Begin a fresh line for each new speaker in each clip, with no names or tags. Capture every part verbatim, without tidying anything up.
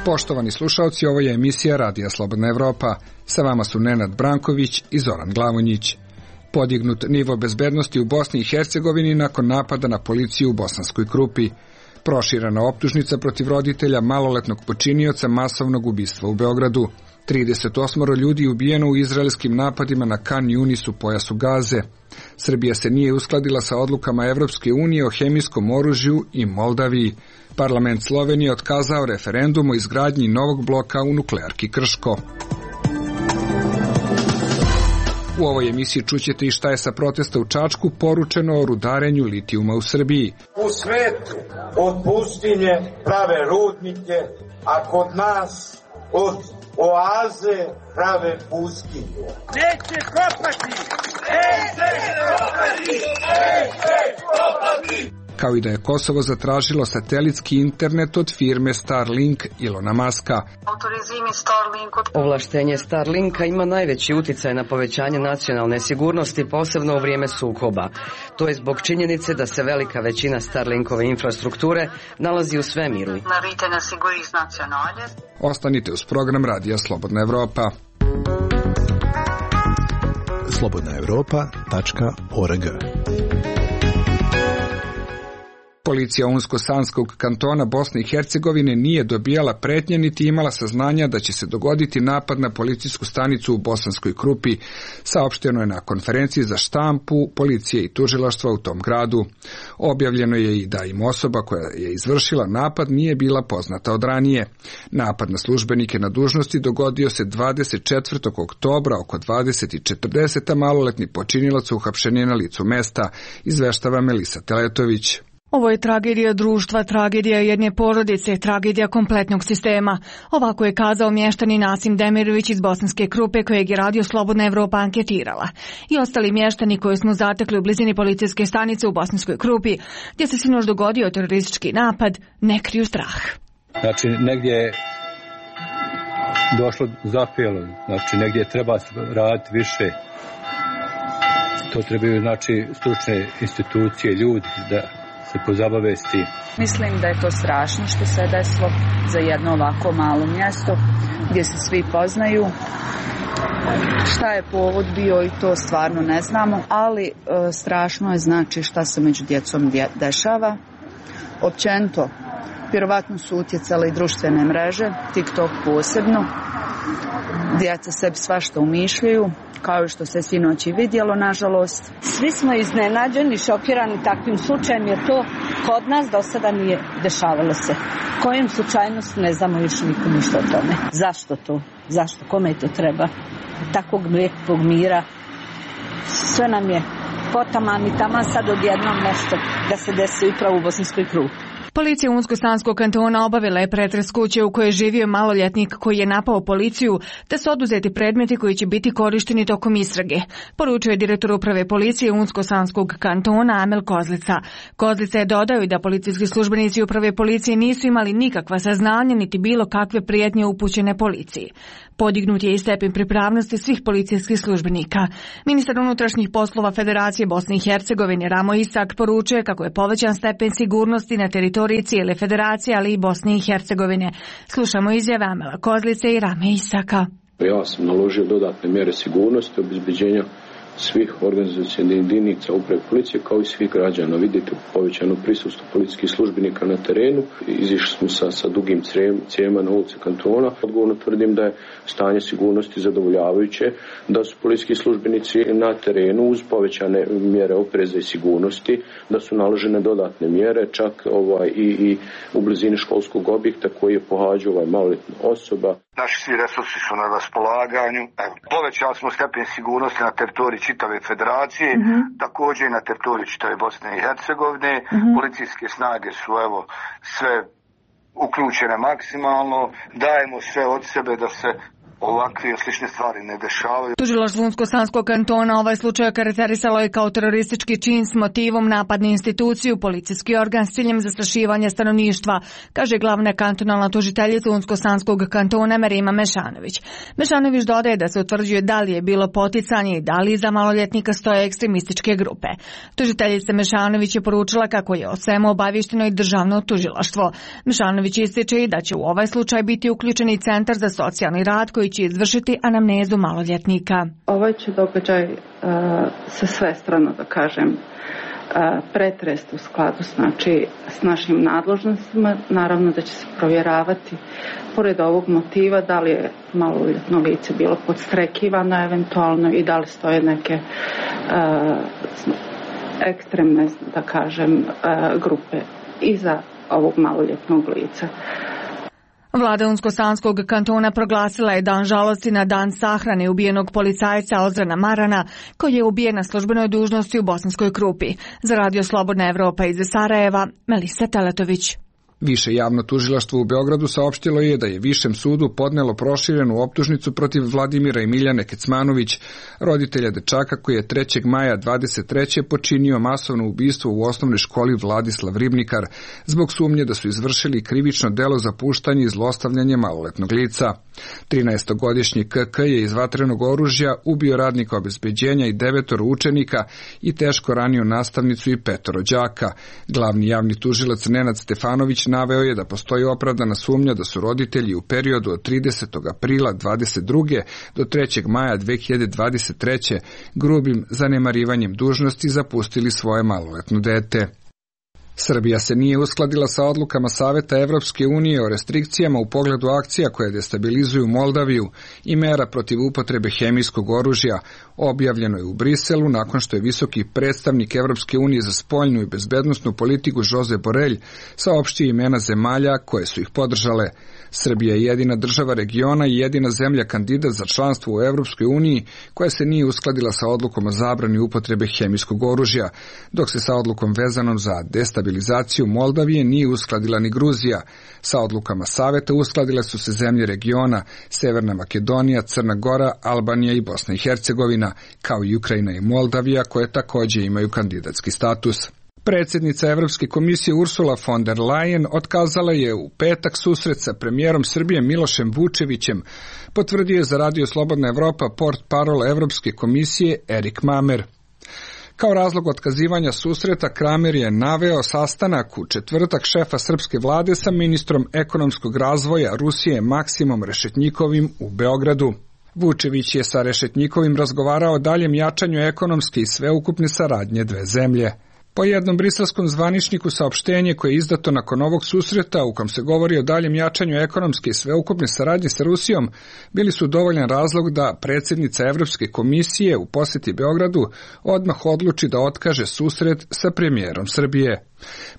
Poštovani slušalci, ovo je emisija Radija Slobodna Evropa. Sa vama su Nenad Branković i Zoran Glavonjić. Podignut nivo bezbednosti u Bosni i Hercegovini nakon napada na policiju u Bosanskoj Krupi. Proširena optužnica protiv roditelja maloletnog počinioca masovnog ubistva u Beogradu. trideset osam ljudi ubijeno u izraelskim napadima na Kan Yunis u pojasu Gaze. Srbija se nije uskladila sa odlukama Evropske unije o hemijskom oružju i Moldaviji. Parlament Slovenije otkazao referendum o izgradnji novog bloka u nuklearki Krško. U ovoj emisiji čućete i šta je sa protesta u Čačku poručeno o rudarenju litijuma u Srbiji.
U svetu od pustinje prave rudnike, a kod nas od oaze prave pustinje. Neće kopati! Neće kopati! Neće kopati!
Kao i da je Kosovo zatražilo satelitski internet od firme Starlink Ilona Maska.
Ovlaštenje Starlinka ima najveći uticaj na povećanje nacionalne sigurnosti, posebno u vrijeme sukoba. To je zbog činjenice da se velika većina Starlinkove infrastrukture nalazi u svemiru.
Ostanite uz program Radija Slobodna Evropa.
slobodna evropa tačka org.
Policija Unsko-Sanskog kantona Bosne i Hercegovine nije dobijala pretnje niti imala saznanja da će se dogoditi napad na policijsku stanicu u Bosanskoj Krupi, saopšteno je na konferenciji za štampu policije i tužilaštva u tom gradu. Objavljeno je i da im osoba koja je izvršila napad nije bila poznata od ranije. Napad na službenike na dužnosti dogodio se dvadeset četvrtog oktobra oko dvadeset četrdeset, a maloletni počinilac uhapšen je na licu mesta, izveštava Melisa Teletović.
Ovo je tragedija društva, tragedija jedne porodice, tragedija kompletnog sistema. Ovako je kazao mještanin Nasim Demirović iz Bosanske Krupe, kojeg je Radio Slobodna Evropa anketirala. I ostali mještani koje smo zatekli u blizini policijske stanice u Bosanskoj Krupi, gdje se sinoć dogodio teroristički napad, ne kriju strah.
Znači, negdje je došlo zapelo, znači negdje treba raditi više. To trebaju, znači, stručne institucije, ljudi da se pozabave s tim.
Mislim da je to strašno što se desilo za jedno ovako malo mjesto gdje se svi poznaju. Šta je povod bio i to stvarno ne znamo, ali e, strašno je znači šta se među djecom dje, dešava. Općenito, vjerovatno su utjecale i društvene mreže, TikTok posebno. Djeca sebi svašta umišljaju, kao što se sinoć i vidjelo, nažalost.
Svi smo iznenađeni, šokirani takvim slučajem, jer to kod nas do sada nije dešavalo se. Kojim slučajnosti ne znamo još niko ništa o tome. Zašto to? Zašto? Kome to treba? Takvog lijepog mira. Sve nam je potaman i taman sad odjednom nešto da se desi upravo u Bosanskoj Krupi.
Policija Unsko-Sanskog kantona obavila je pretres kuće u kojoj je živio maloljetnik koji je napao policiju, te su oduzeti predmeti koji će biti korišteni tokom istrage, poručuje direktor uprave policije Unsko-Sanskog kantona Amel Kozlica. Kozlica je dodao i da policijski službenici uprave policije nisu imali nikakva saznanja niti bilo kakve prijetnje upućene policiji. Podignut je i stepen pripravnosti svih policijskih službenika. Ministar unutrašnjih poslova Federacije Bosne i Hercegovine Ramo Isak poručuje kako je povećan stepen sigurnosti na teritoriji cijele federacije, ali i Bosne i Hercegovine. Slušamo izjave Amela Kozlice i Rame Isaka.
Ja sam naložio dodatne mjere sigurnosti, obezbeđenja svih organizacijskih jedinica uprave policije kao i svih građana. Vidite povećano prisustvo policijskih službenika na terenu. Izišli smo sa, sa dugim cijevima na ulici kantona. Odgovorno tvrdim da je stanje sigurnosti zadovoljavajuće, da su policijski službenici na terenu uz povećane mjere opreza i sigurnosti, da su naložene dodatne mjere, čak ovaj, i, i u blizini školskog objekta koji je pohađao ovaj maloljetna osoba.
Naši svi resursi su na raspolaganju. Evo, povećali smo stepen sigurnosti na teritoriji čitave federacije, mm-hmm. također i na teritoriji čitave Bosne i Hercegovine. Mm-hmm. Policijske snage su evo sve uključene maksimalno. Dajemo sve od sebe da se ovakve slične stvari ne dešavaju.
Tužilaštvo Unsko-Sanskog kantona ovaj slučaj okarakterisalo je kao teroristički čin s motivom napad na instituciju, policijski organ s ciljem zastrašivanja stanovništva, kaže glavna kantonalna tužiteljica Unsko-Sanskog kantona Merima Mešanović. Mešanović dodaje da se utvrđuje da li je bilo poticanje i da li iza maloljetnika stoje ekstremističke grupe. Tužiteljica Mešanović je poručila kako je o svemu obaviješteno i državno tužilaštvo. Mešanović ističe i da će u ovaj slučaj biti uključeni Centar za socijalni rad koji će izvršiti anamnezu maloljetnika.
Ovaj će događaj uh, sa svestrano, da kažem, uh, pretrest u skladu znači, s našim nadležnostima. Naravno da će se provjeravati, pored ovog motiva, da li je maloljetno lice bilo podstrekivano eventualno i da li stoje neke uh, ekstremne, da kažem, uh, grupe iza ovog maloljetnog lica.
Vlada Unsko-Sanskog kantona proglasila je dan žalosti na dan sahrane ubijenog policajca Ozrana Marana, koji je ubijen na službenoj dužnosti u Bosanskoj Krupi. Za Radio Slobodna Evropa iz Sarajeva, Melisa Teletović.
Više javno tužilaštvo u Beogradu saopštilo je da je Višem sudu podnelo proširenu optužnicu protiv Vladimira i Miljane Kecmanović, roditelja dečaka koji je trećeg maja dvadeset treće počinio masovno ubistvo u osnovnoj školi Vladislav Ribnikar, zbog sumnje da su izvršili krivično delo za puštanje i zlostavljanje maloletnog lica. trinaestogodišnji K K je iz vatrenog oružja ubio radnika obezbeđenja i devetoro učenika i teško ranio nastavnicu i petoro đaka. Glavni javni tužilac Nenad Stefanović naveo je da postoji opravdana sumnja da su roditelji u periodu od tridesetog aprila dvadeset druge do trećeg maja dve hiljade dvadeset treće grubim zanemarivanjem dužnosti zapustili svoje maloletno dete. Srbija se nije uskladila sa odlukama Saveta Evropske unije o restrikcijama u pogledu akcija koje destabilizuju Moldaviju i mera protiv upotrebe hemijskog oružja. Objavljeno je u Briselu nakon što je visoki predstavnik Evropske unije za spoljnu i bezbednosnu politiku Josep Borrell saopštio imena zemalja koje su ih podržale. Srbija je jedina država regiona i jedina zemlja kandidat za članstvo u Evropskoj uniji koja se nije uskladila sa odlukom o zabrani upotrebe hemijskog oružja, dok se sa odlukom vezanom za destabilizaciju Moldavije nije uskladila ni Gruzija. Sa odlukama Saveta uskladile su se zemlje regiona Severna Makedonija, Crna Gora, Albanija i Bosna i Hercegovina, kao i Ukrajina i Moldavija koje također imaju kandidatski status. Predsjednica Evropske komisije Ursula von der Leyen otkazala je u petak susret sa premijerom Srbije Milošem Vučevićem, potvrdio je za Radio Slobodna Evropa portparol Evropske komisije Erik Mamer. Kao razlog otkazivanja susreta Kramer je naveo sastanak u četvrtak šefa srpske vlade sa ministrom ekonomskog razvoja Rusije Maksimom Rešetnjikovim u Beogradu. Vučević je sa Rešetnjikovim razgovarao o daljem jačanju ekonomske i sveukupne saradnje dve zemlje. Po jednom briselskom zvaničniku saopštenje koje je izdato nakon ovog susreta u kom se govori o daljem jačanju ekonomske i sveukupne saradnje sa Rusijom bili su dovoljan razlog da predsjednica Evropske komisije u posjeti Beogradu odmah odluči da otkaže susret sa premijerom Srbije.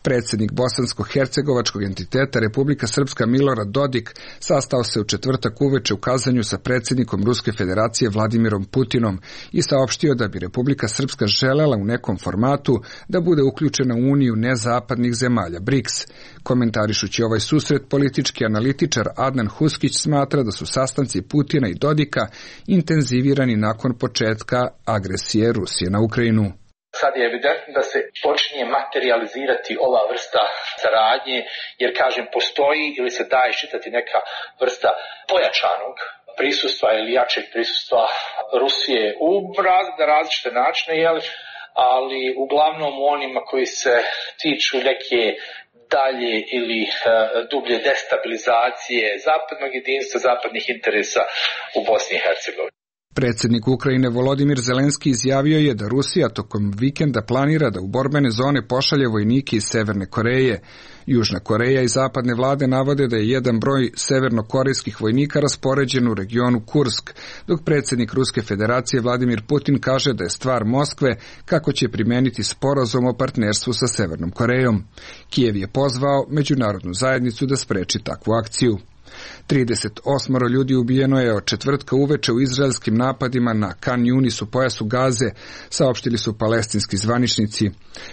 Predsjednik bosansko-hercegovačkog entiteta Republika Srpska Milorad Dodik sastao se u četvrtak uveče u Kazanju sa predsjednikom Ruske federacije Vladimirom Putinom i saopštio da bi Republika Srpska želela u nekom formatu da bude uključena u uniju nezapadnih zemalja B R I C S. Komentarišući ovaj susret, politički analitičar Adnan Huskić smatra da su sastanci Putina i Dodika intenzivirani nakon početka agresije Rusije na Ukrajinu.
Sad je evidentno da se počinje materializirati ova vrsta saradnje, jer kažem postoji ili se daje iščitati neka vrsta pojačanog prisustva ili jačeg prisustva Rusije u različite načine, jel? Ali uglavnom u onima koji se tiču neke dalje ili uh, dublje destabilizacije zapadnog jedinstva, zapadnih interesa u Bosni i Hercegovini.
Predsjednik Ukrajine Volodimir Zelenski izjavio je da Rusija tokom vikenda planira da u borbene zone pošalje vojnike iz Severne Koreje. Južna Koreja i zapadne vlade navode da je jedan broj severnokorejskih vojnika raspoređen u regionu Kursk, dok predsjednik Ruske federacije Vladimir Putin kaže da je stvar Moskve kako će primeniti sporazum o partnerstvu sa Severnom Korejom. Kijev je pozvao međunarodnu zajednicu da spreči takvu akciju. trideset osam ljudi ubijeno je od četvrtka uveče u izraelskim napadima na Kan Yunis u pojasu Gaze, saopštili su palestinski zvaničnici.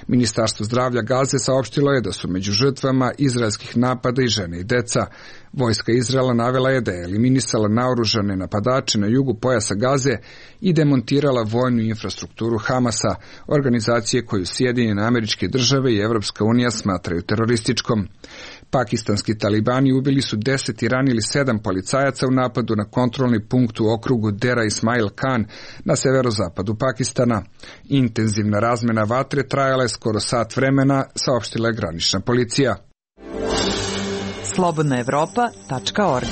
Ministarstvo zdravlja Gaze saopštilo je da su među žrtvama izraelskih napada i žene i deca. Vojska Izraela navela je da je eliminisala naoružane napadače na jugu pojasa Gaze i demontirala vojnu infrastrukturu Hamasa, organizacije koju Sjedinjene Američke Države i Evropska unija smatraju terorističkom. Pakistanski talibani ubili su deset i ranili sedam policajaca u napadu na kontrolni punkt u okrugu Dera Ismail Khan na severozapadu Pakistana. Intenzivna razmena vatre trajala je skoro sat vremena, saopštila je granična policija.
slobodna evropa tačka org.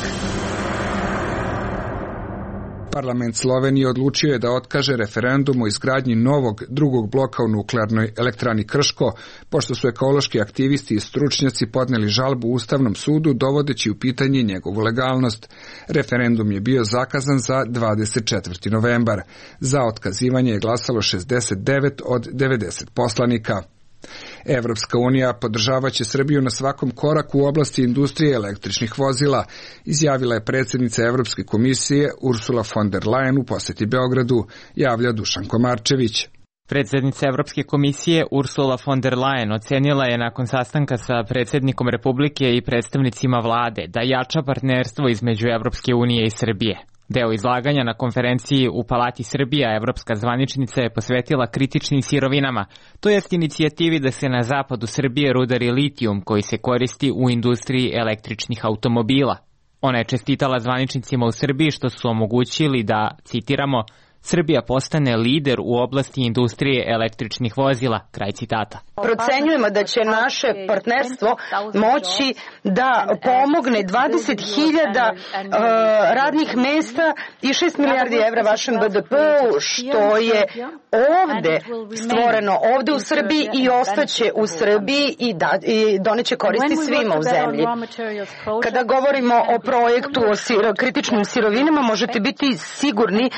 Parlament Slovenije odlučio je da otkaže referendum o izgradnji novog drugog bloka u nuklearnoj elektrani Krško, pošto su ekološki aktivisti i stručnjaci podneli žalbu Ustavnom sudu dovodeći u pitanje njegovu legalnost. Referendum je bio zakazan za dvadeset četvrti novembar. Za otkazivanje je glasalo šezdeset devet od devedeset poslanika. Evropska unija podržavaće Srbiju na svakom koraku u oblasti industrije električnih vozila, izjavila je predsjednica Evropske komisije Ursula von der Leyen u posjeti Beogradu, javlja Dušan Komarčević.
Predsjednica Evropske komisije Ursula von der Leyen ocenila je nakon sastanka sa predsjednikom Republike i predstavnicima vlade da jača partnerstvo između Evropske unije i Srbije. Deo izlaganja na konferenciji u Palati Srbija evropska zvaničnica je posvetila kritičnim sirovinama, to jest inicijativi da se na zapadu Srbije rudari litijum koji se koristi u industriji električnih automobila. Ona je čestitala zvaničnicima u Srbiji što su omogućili da, citiramo, Srbija postane lider u oblasti industrije električnih vozila, kraj citata.
Procenjujemo da će naše partnerstvo moći da pomogne dvadeset hiljada uh, radnih mesta i šest milijardi evra vašem B D P-u, što je ovde stvoreno, ovde u Srbiji i ostaće u Srbiji i, da, i doneće koristi svima u zemlji. Kada govorimo o projektu o siro, kritičnim sirovinama, možete biti sigurni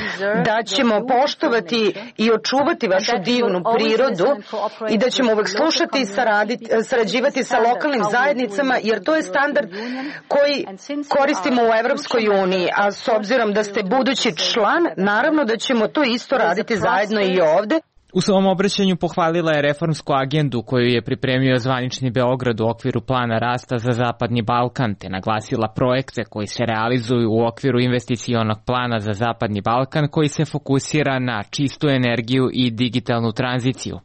da će ćemo poštovati i očuvati vašu divnu prirodu i da ćemo uvek slušati i sarađivati sa lokalnim zajednicama, jer to je standard koji koristimo u Evropskoj uniji, a s obzirom da ste budući član, naravno da ćemo to isto raditi zajedno i ovde.
U svom obraćanju pohvalila je reformsku agendu koju je pripremio zvanični Beograd u okviru plana rasta za Zapadni Balkan, te naglasila projekte koji se realizuju u okviru investicionog plana za Zapadni Balkan koji se fokusira na čistu energiju i digitalnu tranziciju.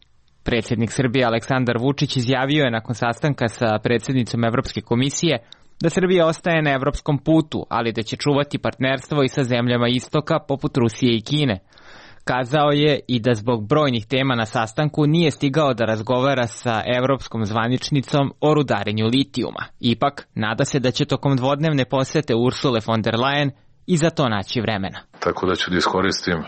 Predsjednik Srbije Aleksandar Vučić izjavio je nakon sastanka sa predsjednicom Evropske komisije da Srbija ostaje na evropskom putu, ali da će čuvati partnerstvo i sa zemljama istoka poput Rusije i Kine. Kazao je i da zbog brojnih tema na sastanku nije stigao da razgovara sa evropskom zvaničnicom o rudarenju litijuma. Ipak, nada se da će tokom dvodnevne posete Ursule von der Leyen i za to naći vremena.
Tako da ću da iskoristim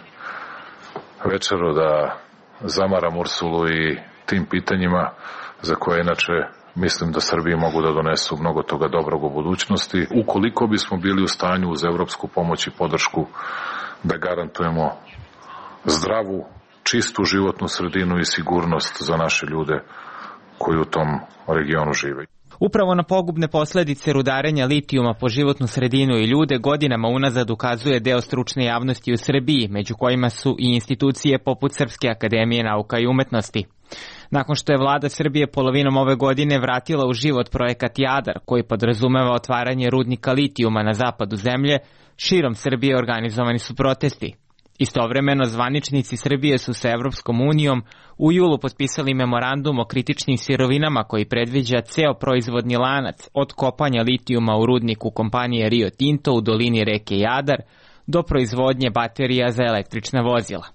večeru da zamaram Ursulu i tim pitanjima za koje inače mislim da Srbiji mogu da donesu mnogo toga dobrog u budućnosti. Ukoliko bismo bili u stanju uz evropsku pomoć i podršku da garantujemo zdravu, čistu životnu sredinu i sigurnost za naše ljude koji u tom regionu žive.
Upravo na pogubne posljedice rudarenja litijuma po životnu sredinu i ljude godinama unazad ukazuje deo stručne javnosti u Srbiji, među kojima su i institucije poput Srpske akademije nauka i umetnosti. Nakon što je vlada Srbije polovinom ove godine vratila u život projekat Jadar, koji podrazumeva otvaranje rudnika litijuma na zapadu zemlje, širom Srbije organizovani su protesti. Istovremeno, zvaničnici Srbije su sa Evropskom unijom u julu potpisali memorandum o kritičnim sirovinama koji predviđa ceo proizvodni lanac od kopanja litijuma u rudniku kompanije Rio Tinto u dolini reke Jadar do proizvodnje baterija za električna vozila.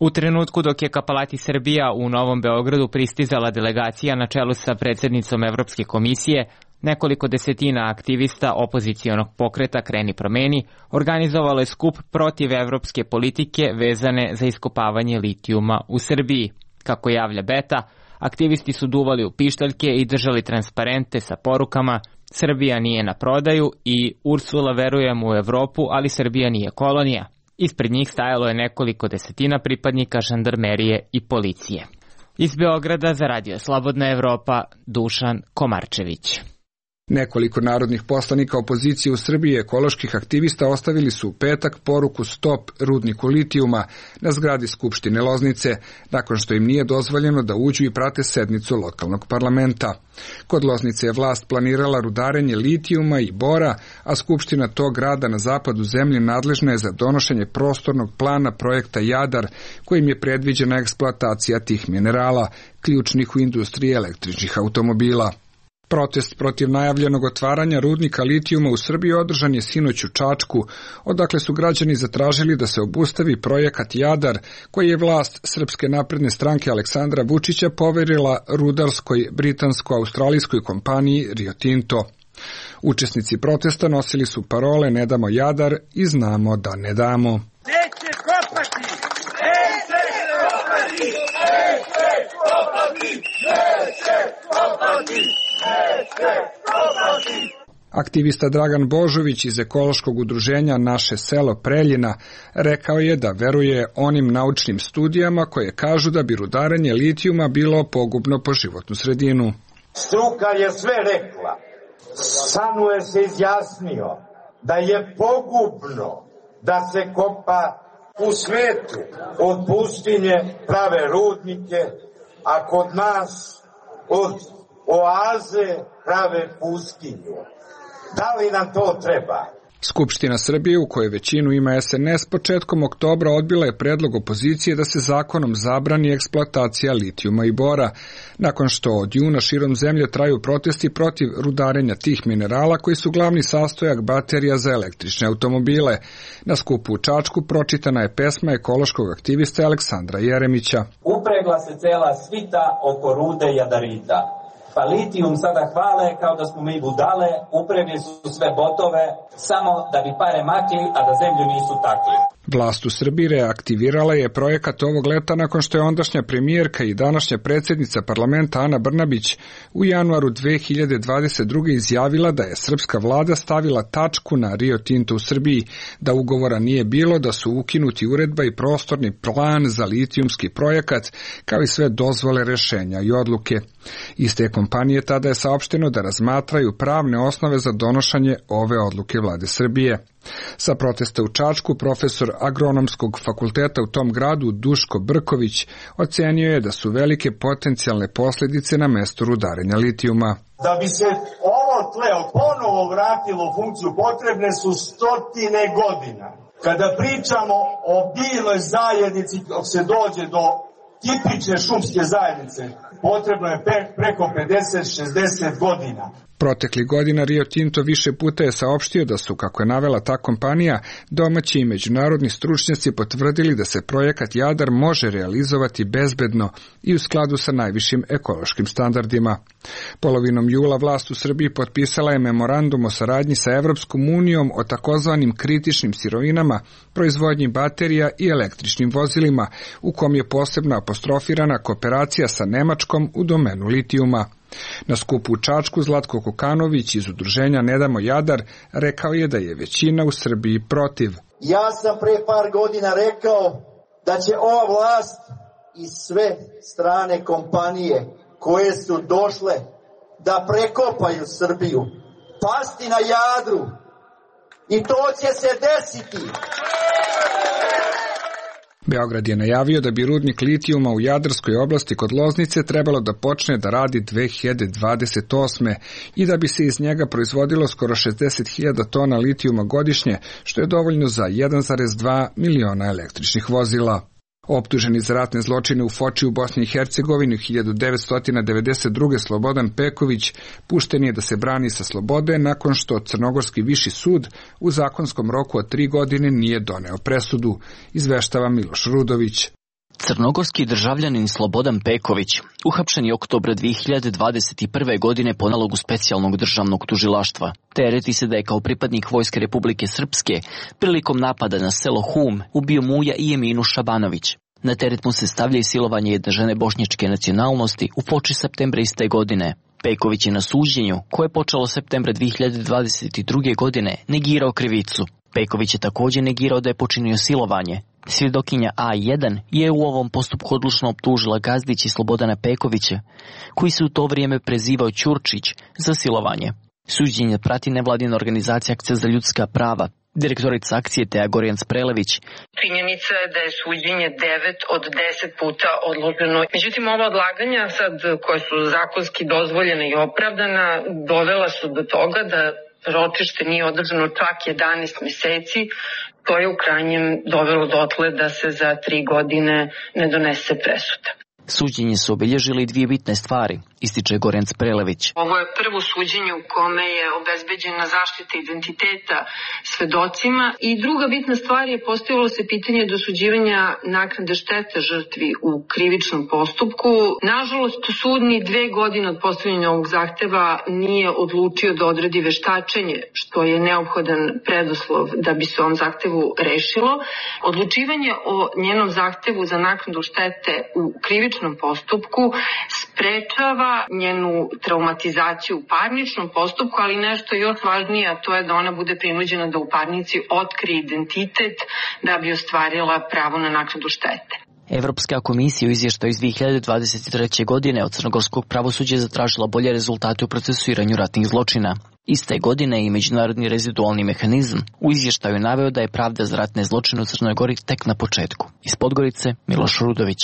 U trenutku dok je ka Palati Srbija u Novom Beogradu pristizala delegacija na čelu sa predsjednicom Evropske komisije, nekoliko desetina aktivista opozicionog pokreta Kreni promeni organizovalo je skup protiv evropske politike vezane za iskopavanje litijuma u Srbiji. Kako javlja Beta, aktivisti su duvali u pištaljke i držali transparente sa porukama Srbija nije na prodaju i Ursula verujem u Evropu, ali Srbija nije kolonija. Ispred njih stajalo je nekoliko desetina pripadnika žandarmerije i policije. Iz Beograda za Radio Slobodna Evropa, Dušan Komarčević.
Nekoliko narodnih poslanika opozicije u Srbiji i ekoloških aktivista ostavili su u petak poruku Stop rudniku litijuma na zgradi Skupštine Loznice, nakon što im nije dozvoljeno da uđu i prate sednicu lokalnog parlamenta. Kod Loznice je vlast planirala rudarenje litijuma i bora, a Skupština tog grada na zapadu zemlje nadležna je za donošenje prostornog plana projekta Jadar, kojim je predviđena eksploatacija tih minerala, ključnih u industriji električnih automobila. Protest protiv najavljenog otvaranja rudnika litijuma u Srbiji održan je sinoć u Čačku, odakle su građani zatražili da se obustavi projekat Jadar, koji je vlast Srpske napredne stranke Aleksandra Vučića poverila rudarskoj britansko-australijskoj kompaniji Rio Tinto. Učesnici protesta nosili su parole "Ne damo Jadar" i "Znamo da ne damo".
Neće kopati! Neće kopati! Neće kopati! Neće kopati! Neće kopati!
Aktivista Dragan Božović iz ekološkog udruženja Naše selo Preljina rekao je da veruje onim naučnim studijama koje kažu da bi rudarenje litijuma bilo pogubno po životnu sredinu.
Struka je sve rekla. Sanue se izjasnio da je pogubno da se kopa u svetu. Od pustinje prave rudnike, a kod nas od oaze prave pustinju. Da li nam to treba?
Skupština Srbije, u kojoj većinu ima es en es, početkom oktobra odbila je predlog opozicije da se zakonom zabrani eksploatacija litijuma i bora, nakon što od juna širom zemlje traju protesti protiv rudarenja tih minerala koji su glavni sastojak baterija za električne automobile. Na skupu u Čačku pročitana je pesma ekološkog aktivista Aleksandra Jeremića.
Upregla se cela svita oko rude jadarita. Pa litijum sada hvale kao da smo mi budale, upregli su sve botove, samo da bi pare makli, a da zemlju nisu takli.
Vlast u Srbiji reaktivirala je projekat ovog leta nakon što je ondašnja premijerka i današnja predsjednica parlamenta Ana Brnabić u januaru dve hiljade dvadeset druge. izjavila da je srpska vlada stavila tačku na Rio Tinto u Srbiji, da ugovora nije bilo, da su ukinuti uredba i prostorni plan za litijumski projekat, kao i sve dozvole, rešenja i odluke. Iz te kompanije tada je saopšteno da razmatraju pravne osnove za donošenje ove odluke vlade Srbije. Sa protesta u Čačku profesor agronomskog fakulteta u tom gradu Duško Brković ocenio je da su velike potencijalne posljedice na mestu rudarenja litijuma.
Da bi se ovo tle ponovo vratilo u funkciju potrebne su stotine godina. Kada pričamo o biljnoj zajednici, dok se dođe do tipične šumske zajednice, potrebno je preko pedeset do šezdeset godina.
Protekli godina Rio Tinto više puta je saopštio da su, kako je navela ta kompanija, domaći i međunarodni stručnjaci potvrdili da se projekat Jadar može realizovati bezbedno i u skladu sa najvišim ekološkim standardima. Polovinom jula vlast u Srbiji potpisala je memorandum o saradnji sa Evropskom unijom o takozvanim kritičnim sirovinama, proizvodnji baterija i električnim vozilima, u kom je posebno apostrofirana kooperacija sa Nemačkom u domenu litijuma. Na skupu u Čačku Zlatko Kokanović iz udruženja Ne damo Jadar rekao je da je većina u Srbiji protiv.
Ja sam pre par godina rekao da će ova vlast i sve strane kompanije koje su došle da prekopaju Srbiju pasti na Jadru i to će se desiti.
Beograd je najavio da bi rudnik litijuma u Jadarskoj oblasti kod Loznice trebalo da počne da radi dve hiljade dvadeset osme. i da bi se iz njega proizvodilo skoro šezdeset hiljada tona litijuma godišnje, što je dovoljno za jedan zarez dva miliona električnih vozila. Optuženi za ratne zločine u Foči u Bosni i Hercegovini u hiljadu devetsto devedeset druge. Slobodan Peković pušten je da se brani sa slobode nakon što Crnogorski viši sud u zakonskom roku od tri godine nije doneo presudu, izveštava Miloš Rudović.
Crnogorski državljanin Slobodan Peković uhapšen je oktobra dve hiljade dvadeset prve. godine po nalogu specijalnog državnog tužilaštva. Tereti se da je kao pripadnik Vojske Republike Srpske prilikom napada na selo Hum ubio Muja i Eminu Šabanović. Na teret mu se stavlja i silovanje jedne žene bošnjačke nacionalnosti u Foči septembra iste godine. Peković je na suđenju, koje je počelo septembra dve hiljade dvadeset druge. godine, negirao krivicu. Peković je također negirao da je počinio silovanje. Svjedokinja A jedan je u ovom postupku odlučno optužila Gazdić i Slobodana Pekovića, koji se u to vrijeme prezivao Ćurčić, za silovanje. Suđenje prati nevladina organizacija Akcija za ljudska prava. Direktorica akcije Teja Gorjanac-Prelević.
Činjenica je da je suđenje devet od deset puta odloženo. Međutim, ova odlaganja sad koje su zakonski dozvoljene i opravdana dovela su do toga da ročište nije održano čak jedanaest meseci. To je u krajnjem dovelo dotle da se za tri godine ne donese presuda.
Suđenje su obilježili dvije bitne stvari, ističe Gorjanac-Prelević.
Ovo je prvo suđenje u kome je obezbeđena zaštita identiteta svedocima i druga bitna stvar je postavilo se pitanje dosuđivanja naknade štete žrtvi u krivičnom postupku. Nažalost, sud ni dve godine od postavljanja ovog zahteva nije odlučio da odredi veštačenje, što je neophodan preduslov da bi se ovom zahtevu rešilo. Odlučivanje o njenom zahtevu za naknadu štete u krivičnom postupku sprečava njenu traumatizaciju u parničnom postupku, ali nešto još važnije, a to je da ona bude prinuđena da u parnici otkrije identitet da bi ostvarila pravo na naknadu štete.
Evropska komisija u izvještaju iz dvije hiljade dvadeset treće. godine od crnogorskog pravosuđa je zatražila bolje rezultate u procesuiranju ratnih zločina. Iste godine i međunarodni rezidualni mehanizam u izvještaju naveo da je pravda za ratne zločine u Crnoj Gori tek na početku. Iz Podgorice, Miloš Rudović.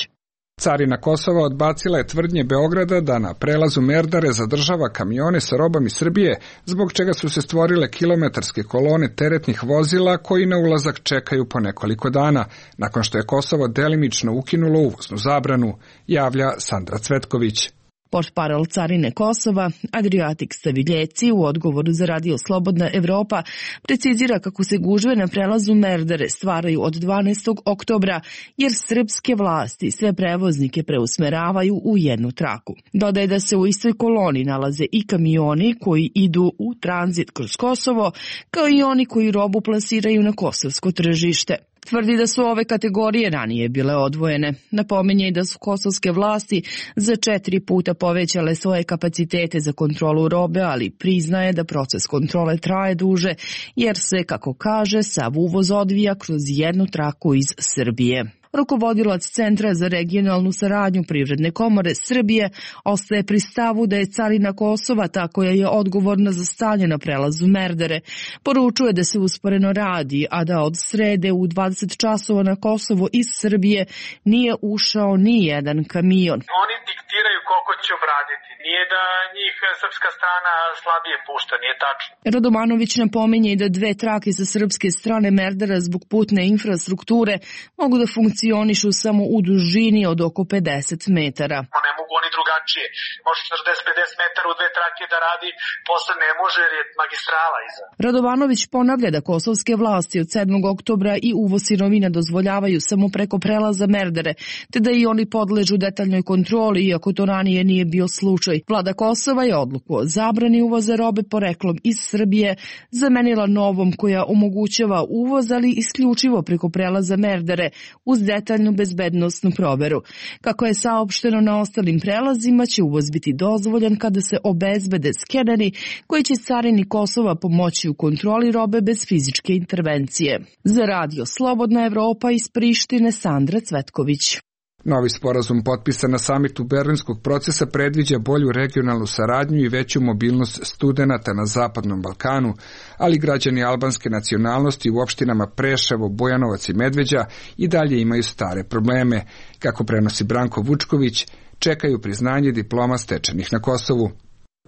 Carina Kosova odbacila je tvrdnje Beograda da na prelazu Merdare zadržava kamione sa robom iz Srbije, zbog čega su se stvorile kilometarske kolone teretnih vozila koji na ulazak čekaju po nekoliko dana, nakon što je Kosovo delimično ukinulo uvoznu zabranu, javlja Sandra Cvetković.
Portparol Carine Kosova, Adriatik Staviljeci, u odgovoru za Radio Slobodna Evropa precizira kako se gužve na prelazu Merdare stvaraju od dvanaestog oktobra, jer srpske vlasti sve prevoznike preusmeravaju u jednu traku. Dodaje da se u istoj koloni nalaze i kamioni koji idu u tranzit kroz Kosovo, kao i oni koji robu plasiraju na kosovsko tržište. Tvrdi da su ove kategorije ranije bile odvojene. Napominje i da su kosovske vlasti za četiri puta povećale svoje kapacitete za kontrolu robe, ali priznaje da proces kontrole traje duže, jer se, kako kaže, sav uvoz odvija kroz jednu traku iz Srbije. Rukovodilac Centra za regionalnu saradnju Privredne komore Srbije ostaje pri stavu da je carina Kosova ta koja je odgovorna za stanje na prelazu Merdare. Poručuje da se usporeno radi, a da od srede u dvadeset časova na Kosovo iz Srbije nije ušao ni jedan kamion.
Oni diktiraju koliko će obraditi. Nije da njih srpska strana slabije pušta, nije tačno.
Radomanović napominje i da dve trake sa srpske strane Merdara zbog putne infrastrukture mogu da funkcionišu samo u dužini od oko pedeset metara.
Ne mogu oni drugačije. Može četrdeset do pedeset metara u dve trake da radi, posle ne može jer je magistrala iza.
Radovanović ponavlja da kosovske vlasti od sedmog oktobra i uvoz sirovina dozvoljavaju samo preko prelaza Merdare, te da i oni podležu detaljnoj kontroli, iako to ranije nije bio slučaj. Vlada Kosova je odluku o zabrani uvoza robe poreklom iz Srbije zamenila novom koja omogućava uvoz, ali isključivo preko prelaza Merdare uz detaljnu bezbednosnu proveru. Kako je saopšteno, na ostalim prelazima će uvoz biti dozvoljen kada se obezbede skeneri koji će carini Kosova pomoći u kontroli robe bez fizičke intervencije. Za Radio Slobodna Evropa iz Prištine, Sandra Cvetković.
Novi sporazum potpisan na samitu Berlinskog procesa predviđa bolju regionalnu saradnju i veću mobilnost studenata na Zapadnom Balkanu, ali građani albanske nacionalnosti u opštinama Preševo, Bojanovac i Medveđa i dalje imaju stare probleme. Kako prenosi Branko Vučković, čekaju priznanje diploma stečenih na Kosovu.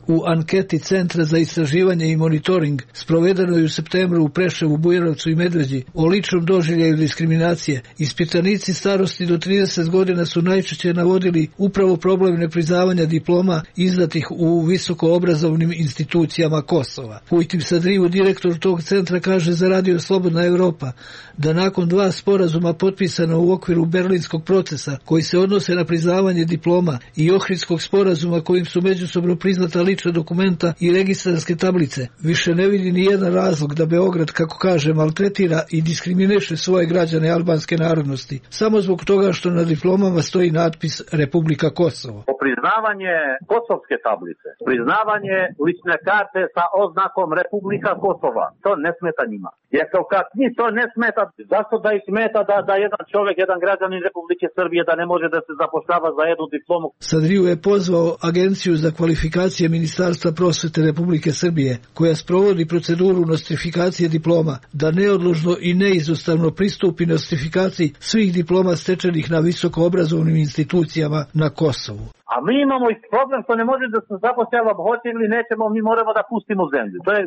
U anketi Centra za istraživanje i monitoring sprovedenoj u septembru u Preševu, Bujanovcu i Medveđi o ličnom doživljaju diskriminacije, ispitanici starosti do trideset godina su najčešće navodili upravo problem nepriznavanja diploma izdatih u visokoobrazovnim institucijama Kosova. Pujtim Sadrivu, direktor tog centra, kaže za Radio Slobodna Evropa da nakon dva sporazuma potpisana u okviru berlinskog procesa koji se odnose na priznavanje diploma i Ohridskog sporazuma kojim su međusobno priznata lična dokumenta i registarske tablice, više ne vidi ni jedan razlog da Beograd, kako kaže, maltretira i diskriminiše svoje građane albanske narodnosti, samo zbog toga što na diplomama stoji natpis Republika Kosovo.
Priznavanje kosovske tablice, priznavanje lične karte sa oznakom Republika Kosova, to ne smeta njima. Je kao kad njih to ne smeta, zašto da ih smeta da, da jedan čovjek, jedan građanin Republike Srbije da ne može da se zapošljava za jednu diplomu?
Sadriju je pozvao Agenciju za kvalifikacije Ministarstva prosvete Republike Srbije, koja sprovodi proceduru nostrifikacije diploma, da neodložno i neizostavno pristupi nostrifikaciji svih diploma stečenih na visokoobrazovnim institucijama na Kosovu.
A mi imamo i problem što ne može da se zapošljava, hoće ili nećemo, mi moramo da pustimo zemlju. To je,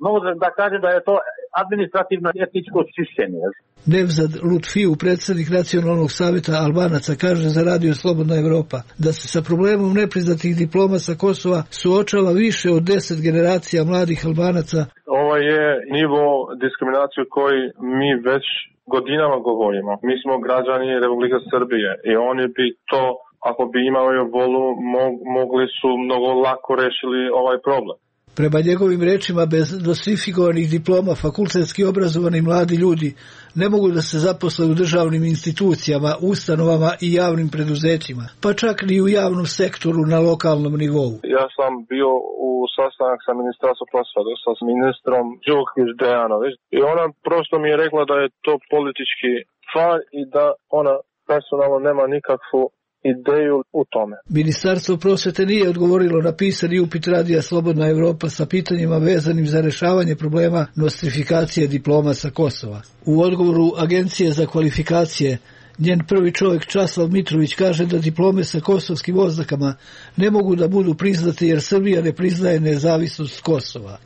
mogu da kažem da je to administrativno etničko čišćenje.
Nevzad Lutfiju, predsjednik Nacionalnog savjeta Albanaca, kaže za Radio Slobodna Evropa da se sa problemom nepriznatih diploma sa Kosova suočava više od deset generacija mladih Albanaca.
Ovo je nivo diskriminacije koji mi već godinama govorimo. Mi smo građani Republike Srbije i oni bi to, ako bi imali volu, mogli su mnogo lako rešili ovaj problem.
Prema njegovim rečima, bez nostrifikovanih diploma fakultetski obrazovani mladi ljudi ne mogu da se zaposle u državnim institucijama, ustanovama i javnim preduzećima, pa čak ni u javnom sektoru na lokalnom nivou.
Ja sam bio u sastanak sa ministarstvom prosvete, sa ministrom Đukić Dejanović, i ona prosto mi je rekla da je to politički stvar i da ona personalno nema nikakvu ideju u tome.
Ministarstvo prosvete nije odgovorilo na pisani upit Radija Slobodna Evropa sa pitanjima vezanim za rešavanje problema nostrifikacije diploma sa Kosova. U odgovoru Agencije za kvalifikacije njen prvi čovjek Časlav Mitrović kaže da diplome sa kosovskim oznakama ne mogu da budu priznate jer Srbija ne priznaje nezavisnost Kosova.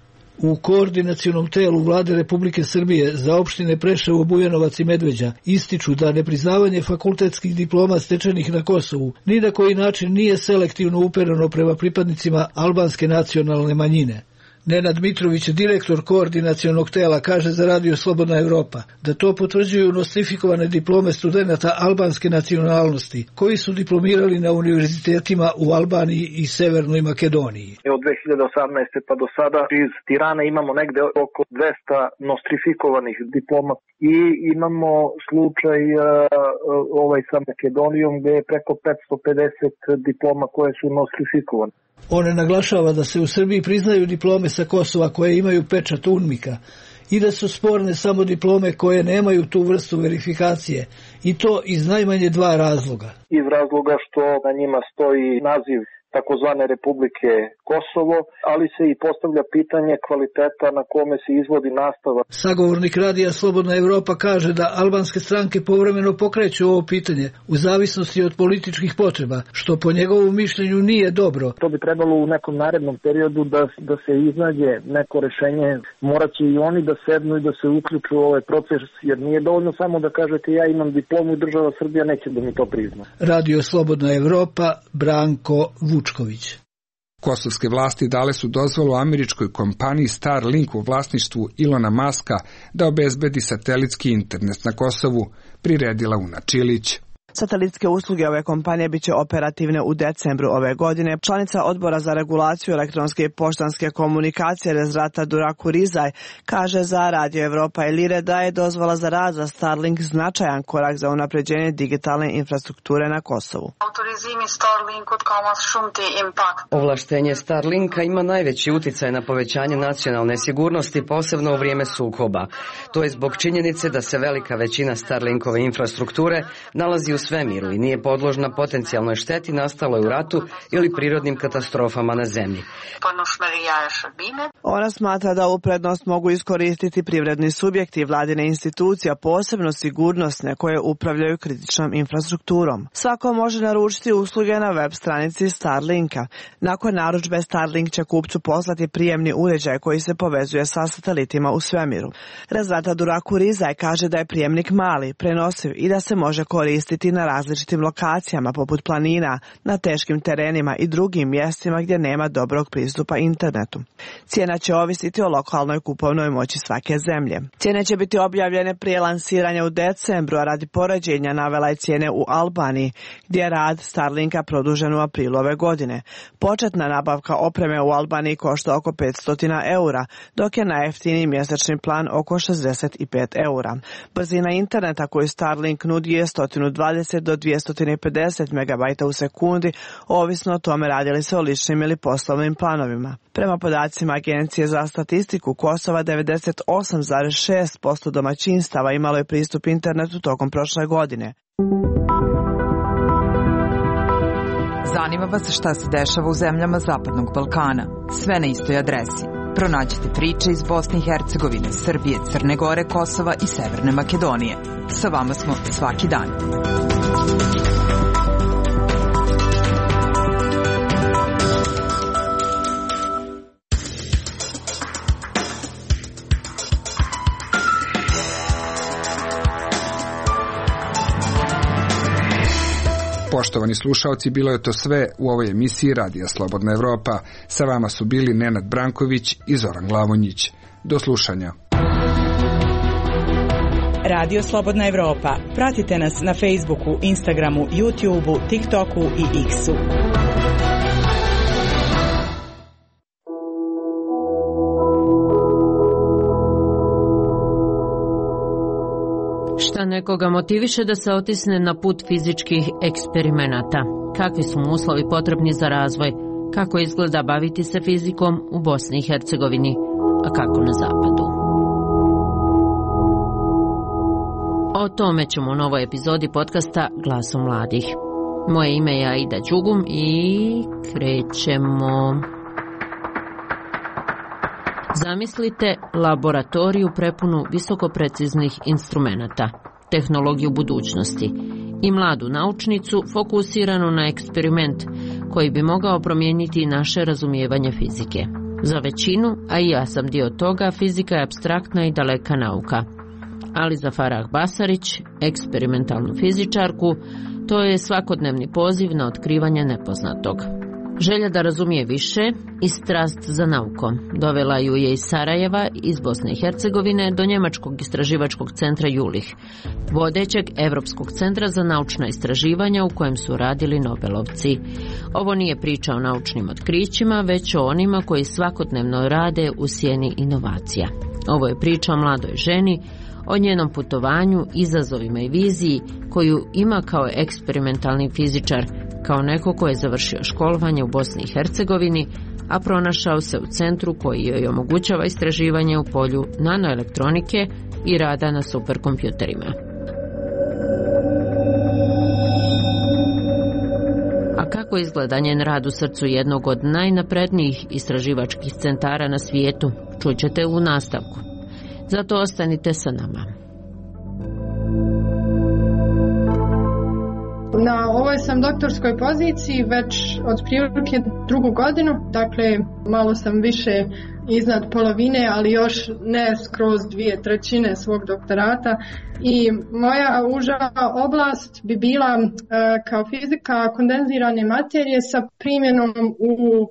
U koordinacionom telu Vlade Republike Srbije za opštine Preševo, Bujanovac i Medveđa ističu da nepriznavanje fakultetskih diploma stečenih na Kosovu ni na koji način nije selektivno upereno prema pripadnicima albanske nacionalne manjine. Nenad Mitrović, direktor koordinacionog tela, kaže za Radio Slobodna Evropa da to potvrđuju nostrifikovane diplome studenata albanske nacionalnosti koji su diplomirali na univerzitetima u Albaniji i Severnoj Makedoniji.
Od dve hiljade osamnaeste pa do sada iz Tirane imamo negde oko dvesta nostrifikovanih diploma i imamo slučaj uh, ovaj sa Makedonijom gde je preko petsto pedeset diploma koje su nostrifikovane.
One naglašava da se u Srbiji priznaju diplome sa Kosova koje imaju pečat UNMIK-a i da su sporne samo diplome koje nemaju tu vrstu verifikacije i to iz najmanje dva razloga.
Iz razloga što na njima stoji naziv takozvane Republike Kosovo, ali se i postavlja pitanje kvaliteta na kome se izvodi nastava.
Sagovornik Radija Slobodna Evropa kaže da albanske stranke povremeno pokreću ovo pitanje u zavisnosti od političkih potreba, što po njegovom mišljenju nije dobro.
To bi trebalo u nekom narednom periodu da, da se iznađe neko rešenje. Moraće i oni da sednu i da se uključu u ovaj proces, jer nije dovoljno samo da kažete ja imam diplomu i država Srbija neće da mi to prizna.
Radio Slobodna Evropa, Branko Vučković.
Kosovske vlasti dale su dozvolu američkoj kompaniji Starlink u vlasništvu Ilona Maska da obezbedi satelitski internet na Kosovu, priredila Una Čilić.
Satelitske usluge ove kompanije biće operativne u decembru ove godine. Članica Odbora za regulaciju elektronske i poštanske komunikacije Rezrata Duraku Rizaj kaže za Radio Evropa i Lire da je dozvola za rad za Starlink značajan korak za unapređenje digitalne infrastrukture na Kosovu.
Ovlaštenje Starlinka ima najveći uticaj na povećanje nacionalne sigurnosti, posebno u vrijeme sukoba. To je zbog činjenice da se velika većina Starlinkove infrastrukture nalazi u svemiru i nije podložna potencijalnoj šteti nastaloj u ratu ili prirodnim katastrofama na zemlji.
Ona smatra da u prednost mogu iskoristiti privredni subjekti i vladine institucija, posebno sigurnosne koje upravljaju kritičnom infrastrukturom. Svako može naručiti usluge na web stranici Starlinka. Nakon narudžbe Starlink će kupcu poslati prijemni uređaj koji se povezuje sa satelitima u svemiru. Rezrata Duraku Rizaj kaže da je prijemnik mali, prenosiv i da se može koristiti na različitim lokacijama poput planina, na teškim terenima i drugim mjestima gdje nema dobrog pristupa internetu. Cijena će ovisiti o lokalnoj kupovnoj moći svake zemlje. Cijene će biti objavljene prije lansiranja u decembru, a radi poređenja navela je cijene u Albaniji, gdje je rad Starlinka produžen u aprilu ove godine. Početna nabavka opreme u Albaniji košta oko petsto eura, dok je najjeftiniji mjesečni plan oko šezdeset pet eura. Brzina interneta koju Starlink nudi je sto dvadeset dvadeset do dvjesto pedeset megabajta u sekundi, ovisno o tome radi li se o ličnim ili poslovnim planovima. Prema podacima Agencije za statistiku Kosova, devedeset osam zarez šest posto domaćinstava imalo je pristup internetu tokom prošle godine.
Zanima vas šta se dešava u zemljama Zapadnog Balkana. Sve na istoj adresi. Pronađite priče iz Bosne i Hercegovine, Srbije, Crne Gore, Kosova i Severne Makedonije. Sa vama smo svaki dan.
Poštovani slušaoci, bilo je to sve u ovoj emisiji Radija Slobodna Evropa. Sa vama su bili Nenad Branković i Zoran Glavonjić. Do slušanja.
Radio Slobodna Evropa. Pratite nas na Facebooku, Instagramu, YouTubeu, TikToku i X-u.
Šta nekoga motiviše da se otisne na put fizičkih eksperimenata? Kakvi su mu uslovi potrebni za razvoj? Kako izgleda baviti se fizikom u Bosni i Hercegovini, a kako na zapadu? O tome ćemo u novoj epizodi podcasta Glasom mladih. Moje ime je Aida Đugum i krećemo. Zamislite laboratoriju prepunu visokopreciznih instrumenata, tehnologiju budućnosti i mladu naučnicu fokusiranu na eksperiment koji bi mogao promijeniti naše razumijevanje fizike. Za većinu, a i ja sam dio toga, fizika je apstraktna i daleka nauka. Ali za Farah Basarić, eksperimentalnu fizičarku, to je svakodnevni poziv na otkrivanje nepoznatog. Želja da razumije više i strast za naukom dovela ju je iz Sarajeva, iz Bosne i Hercegovine, do Njemačkog istraživačkog centra Jülich, vodećeg Evropskog centra za naučna istraživanja u kojem su radili Nobelovci. Ovo nije priča o naučnim otkrićima, već o onima koji svakodnevno rade u sjeni inovacija. Ovo je priča o mladoj ženi, o njenom putovanju, izazovima i viziji koju ima kao eksperimentalni fizičar, kao neko ko je završio školovanje u Bosni i Hercegovini, a pronašao se u centru koji joj omogućava istraživanje u polju nanoelektronike i rada na superkompjuterima. A kako izgleda njen rad u srcu jednog od najnaprednijih istraživačkih centara na svijetu, čućete u nastavku. Zato ostanite sa nama.
Na ovoj sam doktorskoj poziciji već od prilike drugu godinu, dakle malo sam više iznad polovine, ali još ne skroz dvije trećine svog doktorata. I moja uža oblast bi bila uh, kao fizika kondenzirane materije sa primjenom u uh,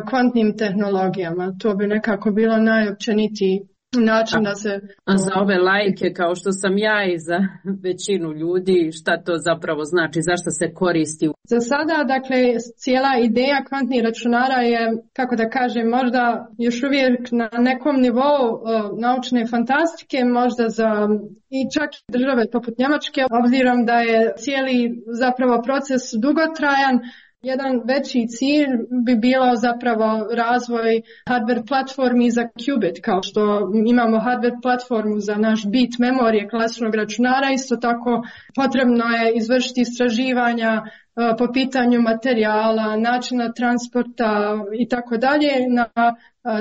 kvantnim tehnologijama. To bi nekako bilo najopćenitiji način da se...
A za ove laike kao što sam ja i za većinu ljudi, šta to zapravo znači, zašto se koristi?
Za sada, dakle, cijela ideja kvantnih računara je, kako da kažem, možda još uvijek na nekom nivou uh, naučne fantastike, možda za i čak države poput Njemačke, obzirom da je cijeli zapravo proces dugotrajan. Jedan veći cilj bi bilo zapravo razvoj hardware platformi za qubit, kao što imamo hardware platformu za naš bit memorije klasičnog računara, isto tako potrebno je izvršiti istraživanja po pitanju materijala, načina transporta i tako dalje na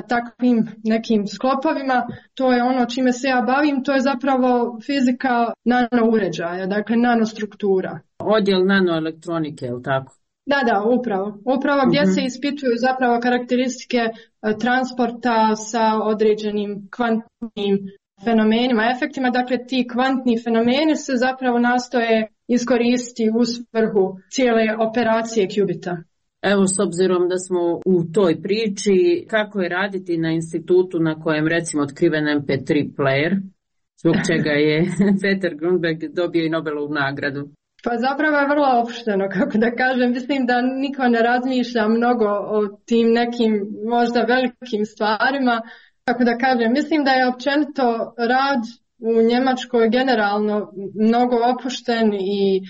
takvim nekim sklopovima. To je ono čime se ja bavim, to je zapravo fizika nanouređaja, dakle nanostruktura.
Odjel nanoelektronike, je li tako?
Da, da, upravo. Upravo gdje mm-hmm. se ispituju zapravo karakteristike transporta sa određenim kvantnim fenomenima, efektima. Dakle, ti kvantni fenomeni se zapravo nastoje iskoristiti u svrhu cijele operacije qubita.
Evo, s obzirom da smo u toj priči, kako je raditi na institutu na kojem recimo otkriven em pe tri player, zbog čega je Peter Grunberg dobio i Nobelovu nagradu?
Pa zapravo je vrlo opušteno, kako da kažem. Mislim da niko ne razmišlja mnogo o tim nekim možda velikim stvarima. Kako da kažem, mislim da je općenito rad u Njemačkoj generalno mnogo opušten i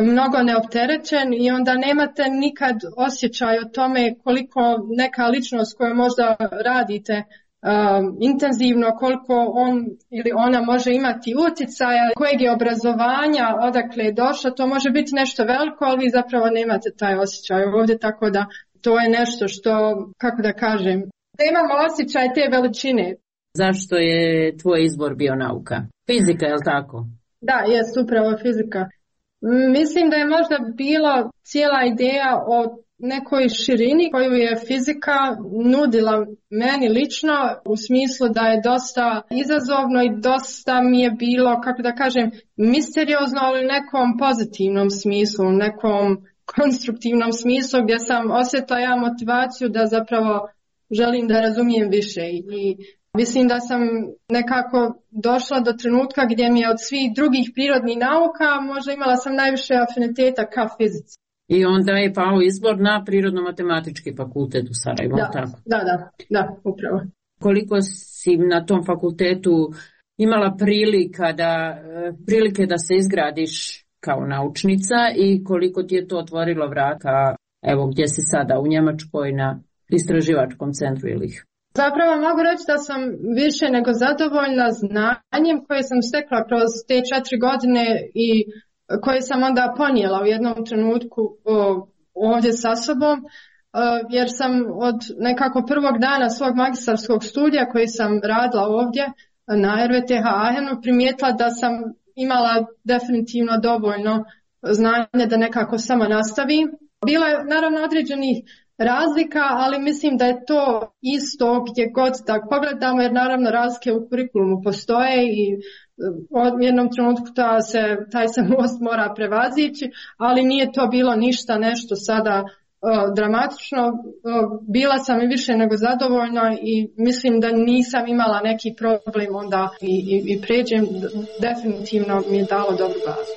mnogo neopterećen i onda nemate nikad osjećaj o tome koliko neka ličnost koju možda radite Um, intenzivno, koliko on ili ona može imati utjecaja, kojeg je obrazovanja, odakle je došlo, to može biti nešto veliko, ali vi zapravo nemate taj osjećaj ovdje, tako da to je nešto što, kako da kažem, da imamo osjećaj te veličine.
Zašto je tvoj izbor bio nauka? Fizika, je li tako?
Da, jest upravo fizika. Mislim da je možda bila cijela ideja o nekoj širini koju je fizika nudila meni lično, u smislu da je dosta izazovno i dosta mi je bilo, kako da kažem, misteriozno, ali u nekom pozitivnom smislu, u nekom konstruktivnom smislu gdje sam osjetila ja motivaciju da zapravo želim da razumijem više i mislim da sam nekako došla do trenutka gdje mi je od svih drugih prirodnih nauka možda imala sam najviše afiniteta ka fizici.
I onda je pao izbor na Prirodno-matematički fakultet u Sarajevu.
Da,
tako?
da, da, da, upravo.
Koliko si na tom fakultetu imala prilika da, prilike da se izgradiš kao naučnica i koliko ti je to otvorilo vrata, evo gdje si sada u Njemačkoj na istraživačkom centru ili?
Zapravo mogu reći da sam više nego zadovoljna znanjem koje sam stekla kroz te četiri godine i koje sam onda ponijela u jednom trenutku ovdje sa sobom, jer sam od nekako prvog dana svog magistarskog studija koji sam radila ovdje na R V T H Aachenu primijetila da sam imala definitivno dovoljno znanja da nekako samo nastavim. Bilo je naravno određenih razlika, ali mislim da je to isto gdje god da pogledamo, jer naravno razlike u kurikulumu postoje i u jednom trenutku ta se, taj se most mora prevazići, ali nije to bilo ništa nešto sada uh, dramatično. Uh, bila sam i više nego zadovoljna i mislim da nisam imala neki problem onda i, i, i pređem, definitivno mi je dalo dobru bazu.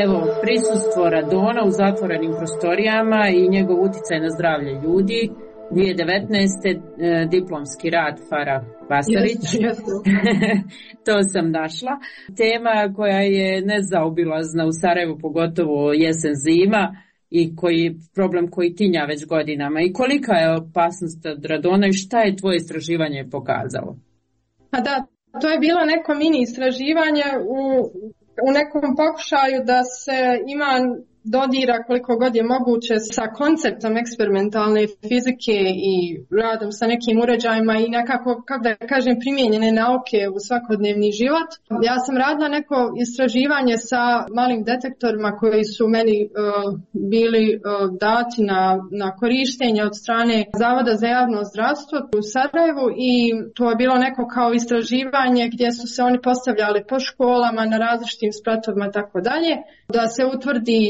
Evo, prisustvo radona u zatvorenim prostorijama i njegov utjecaj na zdravlje ljudi. dvije tisuće devetnaeste. E, diplomski rad Farah Basarić.
Yes, yes.
To sam našla. Tema koja je nezaobilazna u Sarajevu, pogotovo jesen zima i koji problem koji tinja već godinama. I kolika je opasnost od radona i šta je tvoje istraživanje pokazalo?
A da, to je bilo neko mini istraživanje u u nekom pokušaju da se ima dodira koliko god je moguće sa konceptom eksperimentalne fizike i radom sa nekim uređajima i nekako, kako da kažem, primijenjene nauke u svakodnevni život. Ja sam radila neko istraživanje sa malim detektorima koji su meni uh, bili uh, dati na, na korištenje od strane Zavoda za javno zdravstvo u Sarajevu i to je bilo neko kao istraživanje gdje su se oni postavljali po školama na različitim spratovima tako dalje, da se utvrdi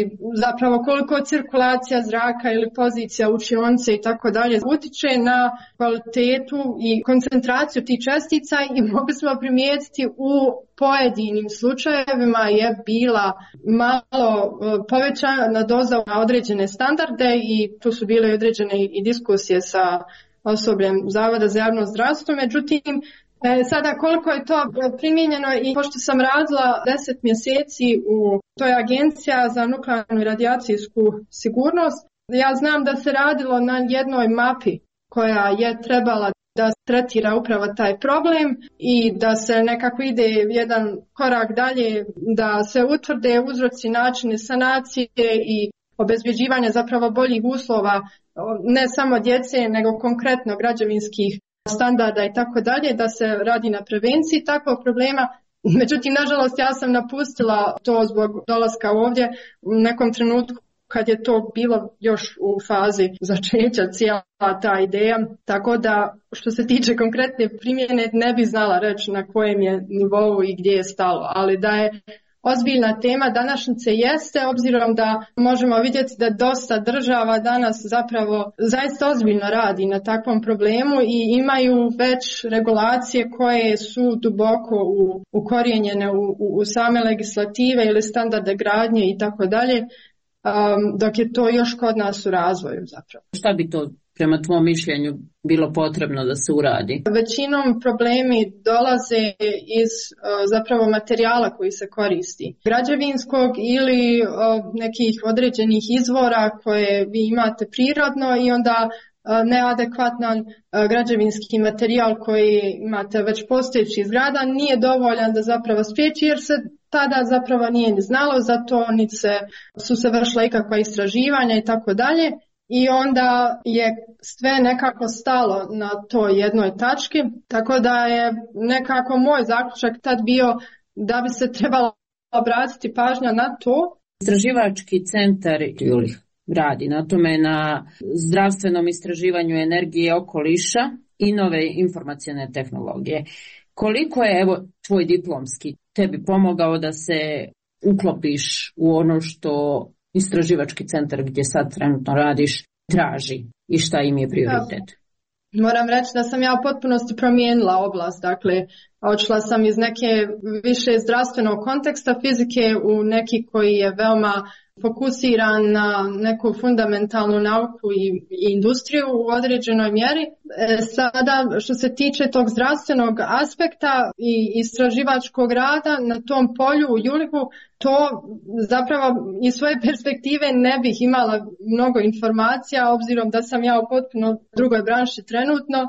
zapravo koliko cirkulacija zraka ili pozicija učionice i tako dalje utiče na kvalitetu i koncentraciju tih čestica i mogli smo primijetiti u pojedinim slučajevima je bila malo povećana doza na određene standarde i tu su bile određene i diskusije sa osobljem Zavoda za javno zdravstvo, međutim E, sada koliko je to primijenjeno i pošto sam radila deset mjeseci u toj agencija za nuklearnu i radijacijsku sigurnost, ja znam da se radilo na jednoj mapi koja je trebala da tretira upravo taj problem i da se nekako ide jedan korak dalje, da se utvrde uzroci, načini sanacije i obezbjeđivanja zapravo boljih uslova ne samo djece nego konkretno građevinskih standarda i tako dalje, da se radi na prevenciji takvog problema. Međutim, nažalost, ja sam napustila to zbog dolaska ovdje u nekom trenutku kad je to bilo još u fazi začeća cijela ta ideja. Tako da, što se tiče konkretne primjene, ne bi znala reći na kojem je nivou i gdje je stalo, ali da je ozbiljna tema današnjice jeste, obzirom da možemo vidjeti da dosta država danas zapravo zaista ozbiljno radi na takvom problemu i imaju već regulacije koje su duboko u, ukorijenjene u, u, u same legislative ili standarde gradnje i tako dalje, dok je to još kod nas u razvoju zapravo.
Šta bi to prema tvom mišljenju bilo potrebno da se uradi?
Većinom problemi dolaze iz zapravo materijala koji se koristi. Građevinskog ili nekih određenih izvora koje vi imate prirodno i onda neadekvatan građevinski materijal koji imate već postojeći zgrada nije dovoljan da zapravo spriječi, jer se tada zapravo nije ni znalo za to, niti se, su se vršila ikakva istraživanja i tako dalje. I onda je sve nekako stalo na toj jednoj tački, tako da je nekako moj zaključak tad bio da bi se trebalo obratiti pažnja na to.
Istraživački centar Julih radi na tome, na zdravstvenom istraživanju energije okoliša i nove informacione tehnologije. Koliko je, evo, tvoj diplomski tebi pomogao da se uklopiš u ono što istraživački centar gdje sad trenutno radiš traži i šta im je prioritet?
Moram reći da sam ja u potpunosti promijenila oblast, dakle odšla sam iz neke više zdravstvenog konteksta fizike u neki koji je veoma fokusiran na neku fundamentalnu nauku i, i industriju u određenoj mjeri. E, sada što se tiče tog zdravstvenog aspekta i istraživačkog rada na tom polju u Julihu, to zapravo iz svoje perspektive ne bih imala mnogo informacija obzirom da sam ja u potpuno drugoj branši trenutno,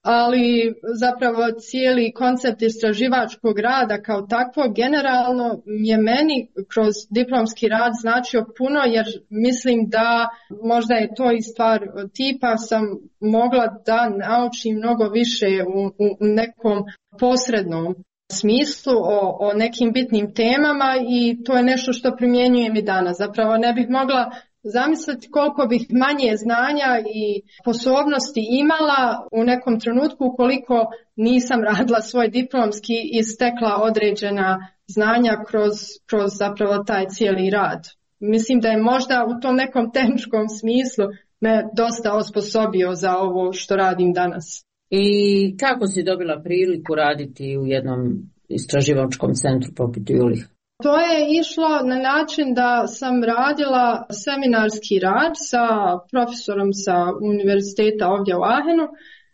ali zapravo cijeli koncept istraživačkog rada kao takvo generalno je meni kroz diplomski rad značio puno, jer mislim da možda je to i stvar tipa sam mogla da naučim mnogo više u, u nekom posrednom smislu o, o nekim bitnim temama i to je nešto što primjenjujem i danas. Zapravo ne bih mogla zamisliti koliko bih manje znanja i sposobnosti imala u nekom trenutku ukoliko nisam radila svoj diplomski i stekla određena znanja kroz, kroz zapravo taj cijeli rad. Mislim da je možda u tom nekom tehničkom smislu me dosta osposobio za ovo što radim danas.
I kako si dobila priliku raditi u jednom istraživačkom centru poput Julih?
To je išlo na način da sam radila seminarski rad sa profesorom sa univerziteta ovdje u Aachenu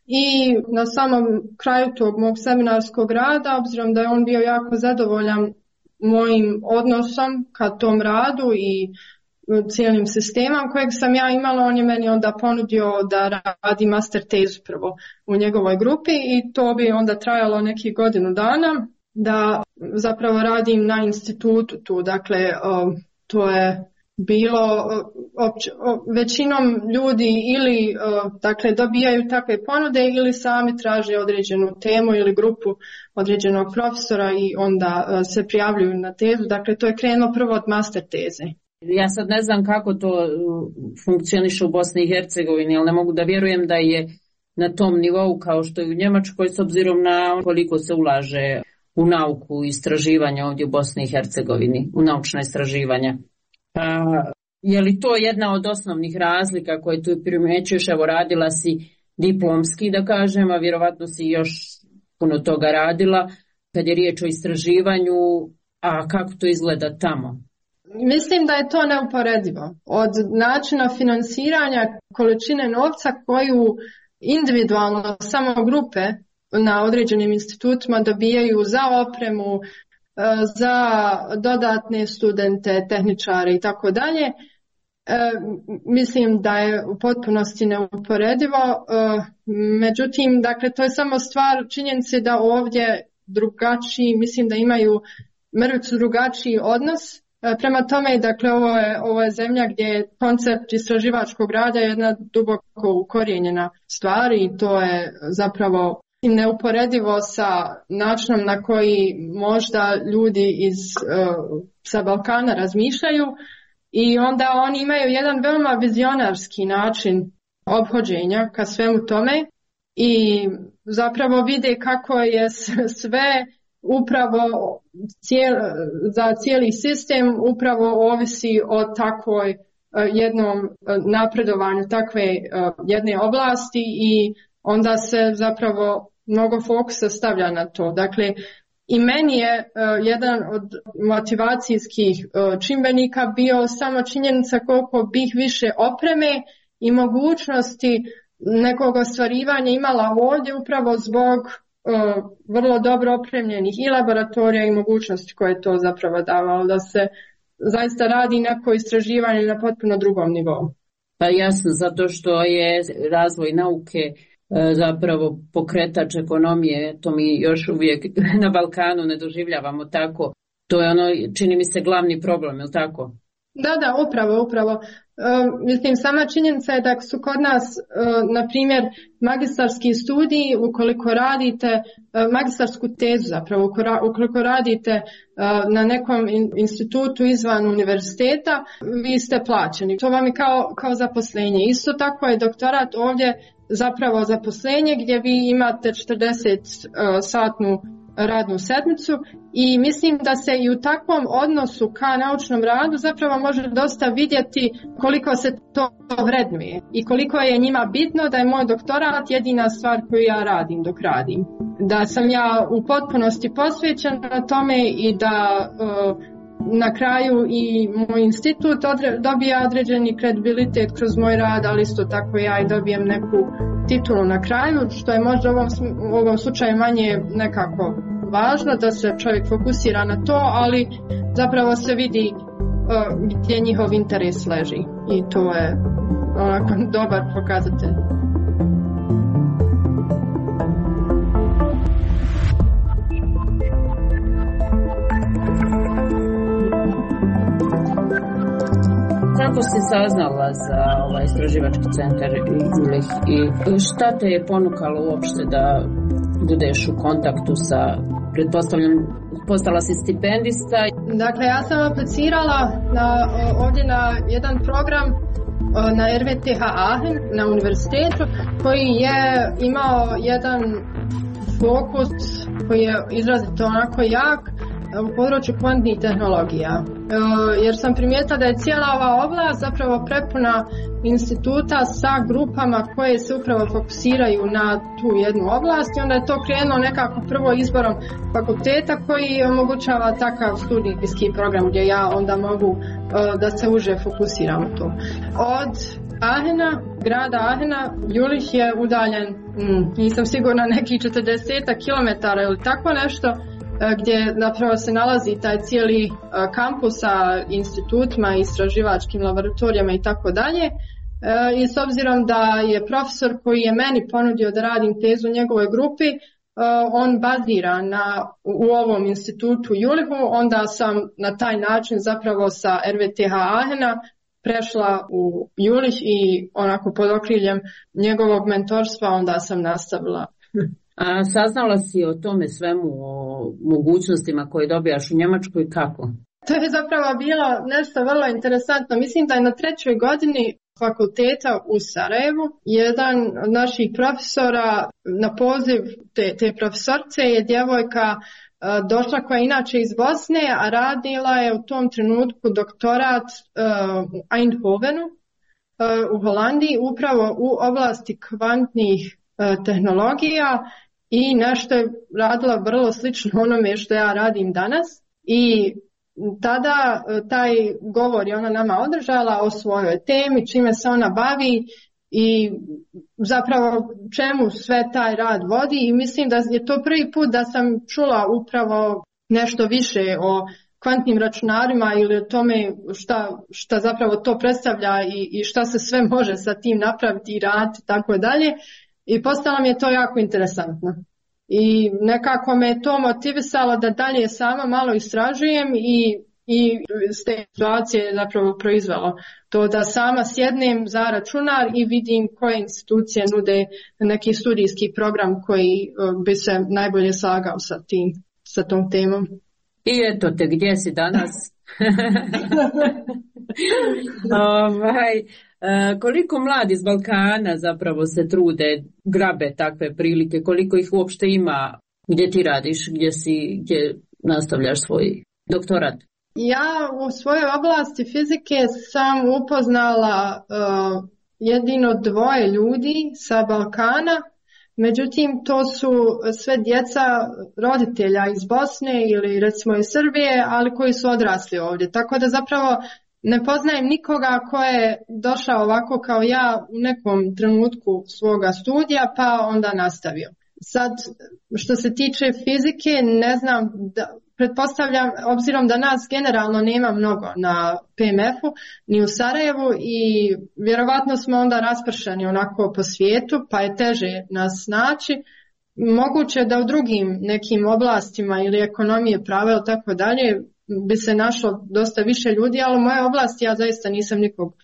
i na samom kraju tog mog seminarskog rada, obzirom da je on bio jako zadovoljan mojim odnosom ka tom radu i cijelim sistemom kojeg sam ja imala, on je meni onda ponudio da radi master tezu prvo u njegovoj grupi i to bi onda trajalo nekih godinu dana. Da zapravo radim na institutu tu, dakle o, to je bilo opće, o, većinom ljudi ili o, dakle dobijaju takve ponude ili sami traže određenu temu ili grupu određenog profesora i onda o, se prijavljuju na tezu, dakle to je krenulo prvo od master teze.
Ja sad ne znam kako to funkcioniše u Bosni i Hercegovini, ali ne mogu da vjerujem da je na tom nivou kao što je u Njemačkoj s obzirom na koliko se ulaže u nauku i istraživanja ovdje u Bosni i Hercegovini, u naučna istraživanja. A, je li to jedna od osnovnih razlika koje tu primjećuješ? Evo, radila si diplomski, da kažem, a vjerovatno si još puno toga radila kad je riječ o istraživanju, a kako to izgleda tamo?
Mislim da je to neuporedivo. Od načina finansiranja, količine novca koju individualno samo grupe na određenim institutima dobijaju za opremu, za dodatne studente, tehničare i tako dalje. Mislim da je u potpunosti neuporedivo. Međutim, dakle, to je samo stvar činjenice da ovdje drugačiji, mislim da imaju mrvicu drugačiji odnos. Prema tome, dakle, ovo je, ovo je zemlja gdje je koncept istraživačkog rada jedna duboko ukorijenjena stvar i to je zapravo neuporedivo sa načinom na koji možda ljudi iz, uh, sa Balkana razmišljaju i onda oni imaju jedan veoma vizionarski način ophođenja ka svemu tome i zapravo vide kako je sve upravo cijel, za cijeli sistem upravo ovisi o takvoj uh, jednom uh, napredovanju takve uh, jedne oblasti i onda se zapravo mnogo fokusa stavlja na to. Dakle, i meni je uh, jedan od motivacijskih uh, čimbenika bio samo činjenica koliko bih više opreme i mogućnosti nekog ostvarivanja imala ovdje upravo zbog uh, vrlo dobro opremljenih i laboratorija i mogućnosti koje je to zapravo davalo, da se zaista radi neko istraživanje na potpuno drugom nivou.
Pa jasno, zato što je razvoj nauke zapravo pokretač ekonomije, to mi još uvijek na Balkanu ne doživljavamo tako. To je ono, čini mi se, glavni problem, je li tako?
Da, da, upravo, upravo. E, mislim, sama činjenica je da su kod nas, e, na primjer, magistarski studiji, ukoliko radite, e, magistarsku tezu zapravo, ukoliko radite e, na nekom in, institutu izvan univerziteta, vi ste plaćeni. To vam je kao, kao zaposlenje. Isto tako je doktorat ovdje zapravo zaposlenje gdje vi imate četrdeset satnu radnu sedmicu i mislim da se i u takvom odnosu ka naučnom radu zapravo može dosta vidjeti koliko se to vrednuje i koliko je njima bitno da je moj doktorat jedina stvar koju ja radim dok radim. Da sam ja u potpunosti posvećena tome i da uh, na kraju i moj institut odre, dobija određeni kredibilitet kroz moj rad, ali isto tako ja i dobijem neku titulu na kraju, što je možda u ovom, u ovom slučaju manje nekako važno, da se čovjek fokusira na to, ali zapravo se vidi uh, gdje njihov interes leži i to je onako dobar pokazatelj.
Kako si saznala za ovaj istraživački centar Jüllich i šta te je ponukalo uopšte da budeš u kontaktu sa, pretpostavljam, postala si stipendista?
Dakle, ja sam aplicirala na, ovdje na jedan program na R W T H Aachen na univerzitetu koji je imao jedan fokus koji je izrazito onako jak u području kvantnih tehnologija. Jer sam primijetila da je cijela ova oblast zapravo prepuna instituta sa grupama koje se upravo fokusiraju na tu jednu oblast i onda je to krenulo nekako prvo izborom fakulteta koji omogućava takav studijski program gdje ja onda mogu da se uže fokusiram u to. Od Aachena, grada Aachena, Jülich je udaljen, mm, nisam sigurna, nekih četrdeset kilometara ili tako nešto, gdje napravo se nalazi taj cijeli kampus sa institutima, istraživačkim laboratorijama i tako dalje. I s obzirom da je profesor koji je meni ponudio da radim tezu u njegovoj grupi, on bazira na, u ovom institutu Jülichu, onda sam na taj način zapravo sa R W T H Aachena prešla u Jülich i onako pod okriljem njegovog mentorstva onda sam nastavila.
A saznala si o tome svemu, o mogućnostima koje dobijaš u Njemačkoj, kako?
To je zapravo bilo nešto vrlo interesantno. Mislim da je na trećoj godini fakulteta u Sarajevu jedan od naših profesora na poziv te, te profesorce je djevojka došla koja je inače iz Bosne, a radila je u tom trenutku doktorat uh, u Eindhovenu uh, u Holandiji upravo u oblasti kvantnih uh, tehnologija i nešto je radila vrlo slično onome što ja radim danas i tada taj govor je ona nama održala o svojoj temi, čime se ona bavi i zapravo čemu sve taj rad vodi i mislim da je to prvi put da sam čula upravo nešto više o kvantnim računarima ili o tome šta, šta zapravo to predstavlja i, i šta se sve može sa tim napraviti i raditi i tako dalje. I postalo mi je to jako interesantno. I nekako me to motivisalo da dalje sama malo istražujem i, i s te situacije je zapravo proizvelo to da sama sjednem za računar i vidim koje institucije nude neki studijski program koji bi se najbolje slagao sa tim, sa tom temom.
I eto te, gdje si danas? ovaj, koliko mladi iz Balkana zapravo se trude, grabe takve prilike, koliko ih uopšte ima, gdje ti radiš, gdje si, gdje nastavljaš svoj doktorat?
Ja u svojoj oblasti fizike sam upoznala uh, jedino dvoje ljudi sa Balkana, međutim to su sve djeca roditelja iz Bosne ili recimo iz Srbije, ali koji su odrasli ovdje. Tako da zapravo ne poznajem nikoga ko je došao ovako kao ja u nekom trenutku svoga studija pa onda nastavio. Sad, što se tiče fizike, ne znam, da, pretpostavljam, obzirom da nas generalno nema mnogo na P M F-u, ni u Sarajevu i vjerovatno smo onda raspršani onako po svijetu, pa je teže nas naći. Moguće da u drugim nekim oblastima ili ekonomije, prava ili tako dalje bi se našlo dosta više ljudi, ali u moje oblasti ja zaista nisam nikog uh,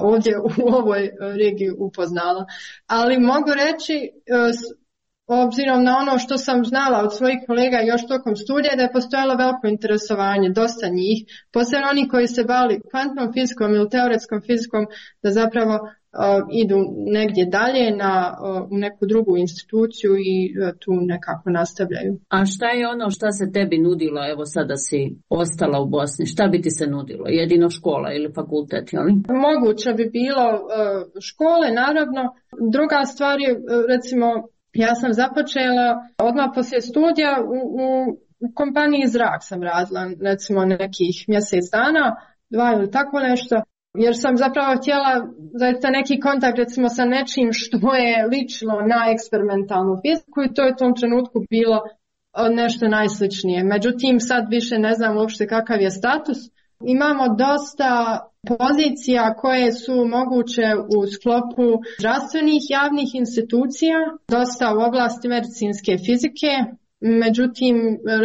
ovdje u ovoj regiji upoznala. Ali mogu reći, uh, obzirom na ono što sam znala od svojih kolega još tokom studija, da je postojalo veliko interesovanje, dosta njih, posebno oni koji se bavili kvantnom fizikom ili teoretskom fizikom, da zapravo uh, idu negdje dalje na, uh, u neku drugu instituciju i uh, tu nekako nastavljaju.
A šta je ono šta se tebi nudilo, evo sada si ostala u Bosni, šta bi ti se nudilo? Jedino škola ili fakultet, jel? Moguće
bi bilo uh, škole, naravno. Druga stvar je, uh, recimo, ja sam započela odmah poslije studija u, u, u kompaniji Zrak sam radila, recimo nekih mjesec dana, dva ili tako nešto, jer sam zapravo htjela zaista neki kontakt recimo sa nečim što je lično na eksperimentalnu fiziku i to je u tom trenutku bilo nešto najsličnije. Međutim, sad više ne znam uopšte kakav je status. Imamo dosta pozicija koje su moguće u sklopu zdravstvenih javnih institucija, dosta u oblasti medicinske fizike, međutim,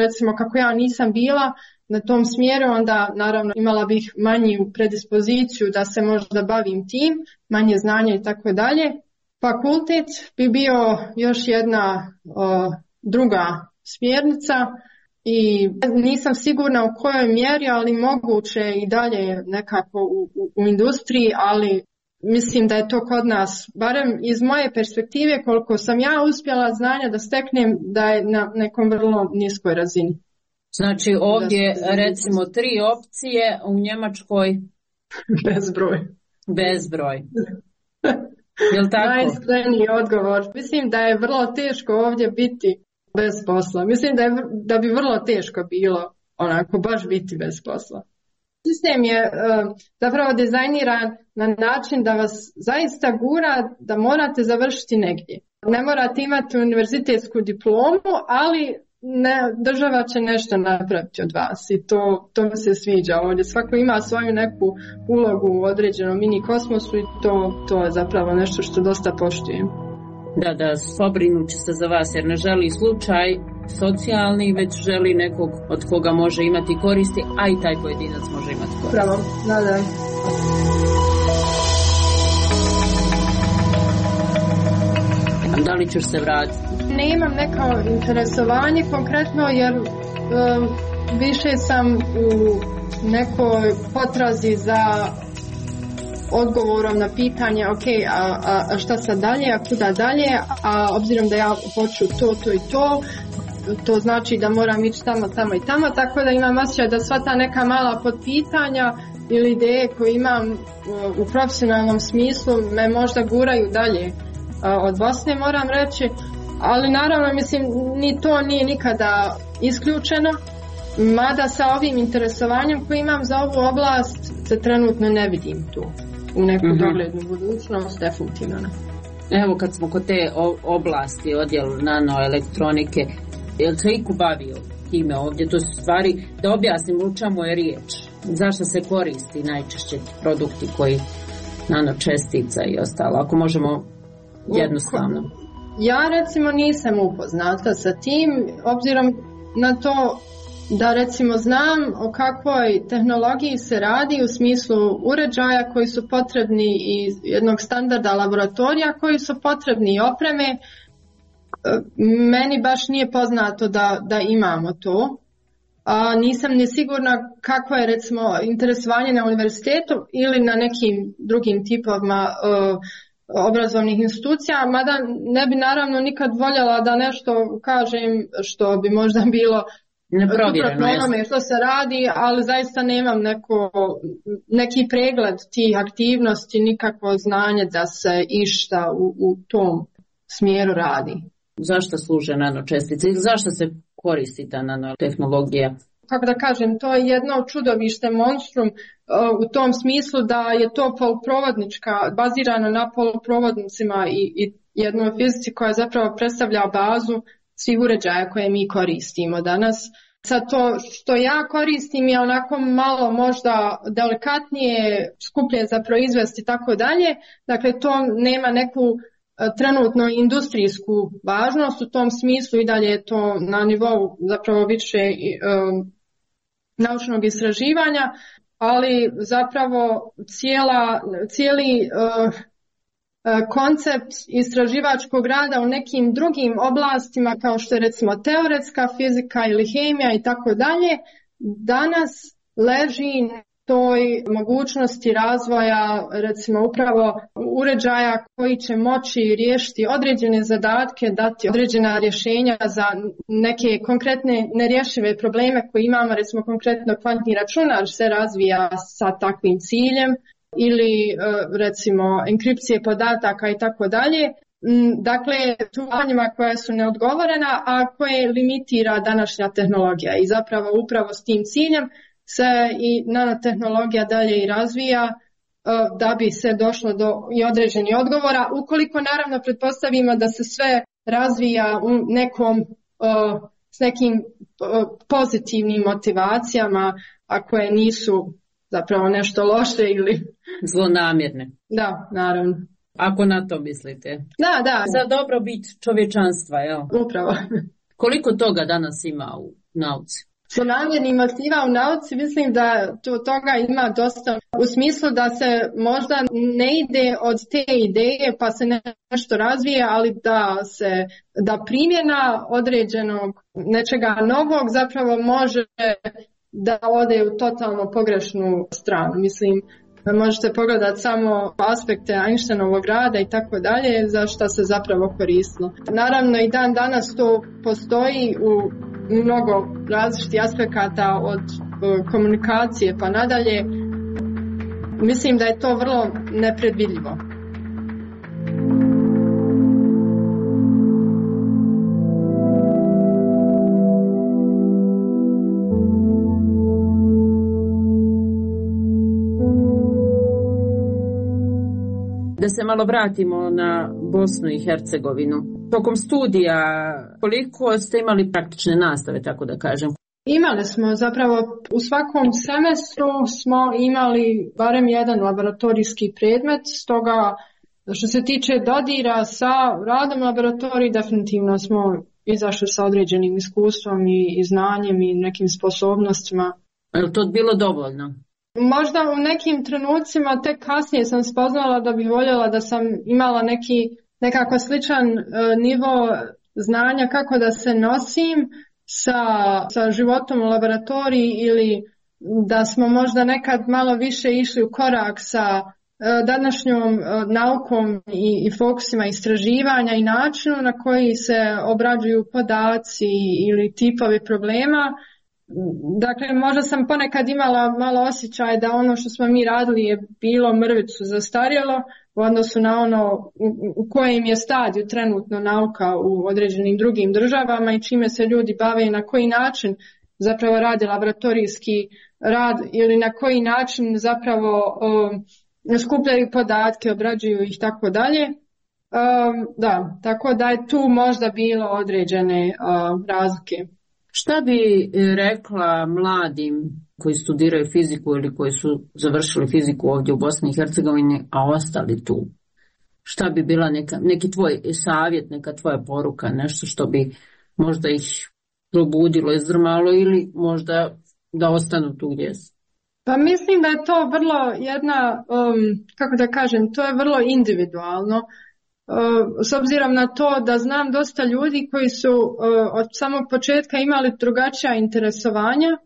recimo kako ja nisam bila na tom smjeru, onda naravno imala bih manju predispoziciju da se možda bavim tim, manje znanja i tako dalje. Fakultet bi bio još jedna o, druga smjernica. I nisam sigurna u kojoj mjeri, ali moguće i dalje nekako u, u, u industriji, ali mislim da je to kod nas, barem iz moje perspektive, koliko sam ja uspjela znanja da steknem, da je na nekom vrlo niskoj razini.
Znači ovdje recimo tri opcije, u Njemačkoj?
Bezbroj.
Bezbroj. Jel tako?
Najiskreniji odgovor. Mislim da je vrlo teško ovdje biti bez posla. Mislim da, je, da bi vrlo teško bilo onako baš biti bez posla. Sistem je uh, zapravo dizajniran na način da vas zaista gura da morate završiti negdje. Ne morate imati univerzitetsku diplomu, ali ne, država će nešto napraviti od vas i to, to mi se sviđa ovdje. Svako ima svoju neku ulogu u određenom mini kosmosu i to, to je zapravo nešto što dosta poštujem.
Da, da, pobrinut će se za vas jer ne želi slučaj socijalni, već želi nekog od koga može imati koristi, a i taj pojedinac može imati koristi.
Pravo, da, da.
Da li ćeš se vratiti?
Ne imam neko interesovanje konkretno jer um, više sam u nekoj potrazi za odgovorom na pitanje ok, a, a, a šta sad dalje, a kuda dalje, a obzirom da ja hoću to, to i to, to znači da moram ići tamo, tamo i tamo, tako da imam osjećaj da sva ta neka mala podpitanja ili ideje koje imam u profesionalnom smislu me možda guraju dalje od Bosne, moram reći, ali naravno mislim ni to nije nikada isključeno, mada sa ovim interesovanjem koje imam za ovu oblast se trenutno ne vidim tu u neku mm-hmm. doglednu budućnost, definitivno.
Evo kad smo kod te oblasti, odjel nanoelektronike, je li se iku bavio time ovdje? To su stvari, da objasnim u čemu je riječ, zašto se koristi najčešće produkti koji nanočestica i ostalo, ako možemo jednostavno.
Ja recimo nisam upoznata sa tim, obzirom na to da recimo znam o kakvoj tehnologiji se radi u smislu uređaja koji su potrebni i jednog standarda laboratorija koji su potrebni i opreme. Meni baš nije poznato da, da imamo to. A nisam ni sigurna kako je recimo interesovanje na univerzitetu ili na nekim drugim tipovima uh, obrazovnih institucija, mada ne bi naravno nikad voljela da nešto kažem što bi možda bilo
neprovjereno
onome što se radi, ali zaista nemam neko, neki pregled tih aktivnosti, nikakvo znanje da se išta u, u tom smjeru radi.
Zašto služe nanočestice i zašto se koristi ta nanotehnologija?
Kako da kažem, to je jedno čudovište, monstrum u tom smislu da je to poluprovodnička, bazirano na poluprovodnicima i, i jednoj fizici koja zapravo predstavlja bazu svih uređaja koje mi koristimo danas. Sad to što ja koristim je onako malo možda delikatnije, skuplje za proizvesti i tako dalje. Dakle, to nema neku trenutno industrijsku važnost, u tom smislu i dalje je to na nivou zapravo više um, naučnog istraživanja, ali zapravo cijela, cijeli uh, koncept istraživačkog rada u nekim drugim oblastima kao što je recimo teoretska fizika ili hemija i tako dalje, danas leži na toj mogućnosti razvoja recimo upravo uređaja koji će moći riješiti određene zadatke, dati određena rješenja za neke konkretne nerješive probleme koje imamo, recimo konkretno kvantni računar se razvija sa takvim ciljem, ili recimo enkripcije podataka i tako dalje. Dakle, pitanjima koja su neodgovorena, a koje limitira današnja tehnologija i zapravo upravo s tim ciljem se i nanotehnologija dalje i razvija da bi se došlo do i određenih odgovora, ukoliko naravno pretpostavimo da se sve razvija u nekom, s nekim pozitivnim motivacijama, a koje nisu zapravo nešto loše ili
zlonamjerne.
Da, naravno.
Ako na to mislite.
Da, da.
Za dobrobit čovječanstva, jel?
Upravo.
Koliko toga danas ima u nauci?
Zlonamjernih motiva u nauci mislim da to, toga ima dosta u smislu da se možda ne ide od te ideje pa se nešto razvije, ali da se da primjena određenog nečega novog zapravo može da ode u totalno pogrešnu stranu. Mislim, možete pogledati samo aspekte Einsteinovog rada i tako dalje, za što se zapravo koristilo. Naravno i dan danas to postoji u mnogo različitih aspekata od komunikacije pa nadalje. Mislim da je to vrlo nepredvidljivo.
Da se malo vratimo na Bosnu i Hercegovinu. Tokom studija koliko ste imali praktične nastave, tako da kažem?
Imali smo zapravo u svakom semestru smo imali barem jedan laboratorijski predmet, stoga što se tiče dodira sa radom laboratoriji definitivno smo izašli sa određenim iskustvom i, i znanjem i nekim sposobnostima.
Je li to bilo dovoljno?
Možda u nekim trenucima tek kasnije sam spoznala da bih voljela da sam imala neki nekako sličan uh, nivo znanja kako da se nosim sa, sa životom u laboratoriji ili da smo možda nekad malo više išli u korak sa uh, današnjom uh, naukom i, i fokusima istraživanja i načinu na koji se obrađuju podaci ili tipovi problema. Dakle, možda sam ponekad imala malo osjećaj da ono što smo mi radili je bilo mrvicu zastarjelo u odnosu na ono u, u kojem je stadiju trenutno nauka u određenim drugim državama i čime se ljudi bave i na koji način zapravo rade laboratorijski rad ili na koji način zapravo um, skupljaju podatke, obrađuju ih tako dalje. Um, da, tako da je tu možda bilo određene uh, razlike.
Šta bi rekla mladim koji studiraju fiziku ili koji su završili fiziku ovdje u Bosni i Hercegovini, a ostali tu? Šta bi bila neka, neki tvoj savjet, neka tvoja poruka, nešto što bi možda ih probudilo, izdrmalo ili možda da ostanu tu gdje su?
Pa mislim da je to vrlo jedna, um, kako da kažem, to je vrlo individualno. S obzirom na to da znam dosta ljudi koji su od samog početka imali drugačija interesovanja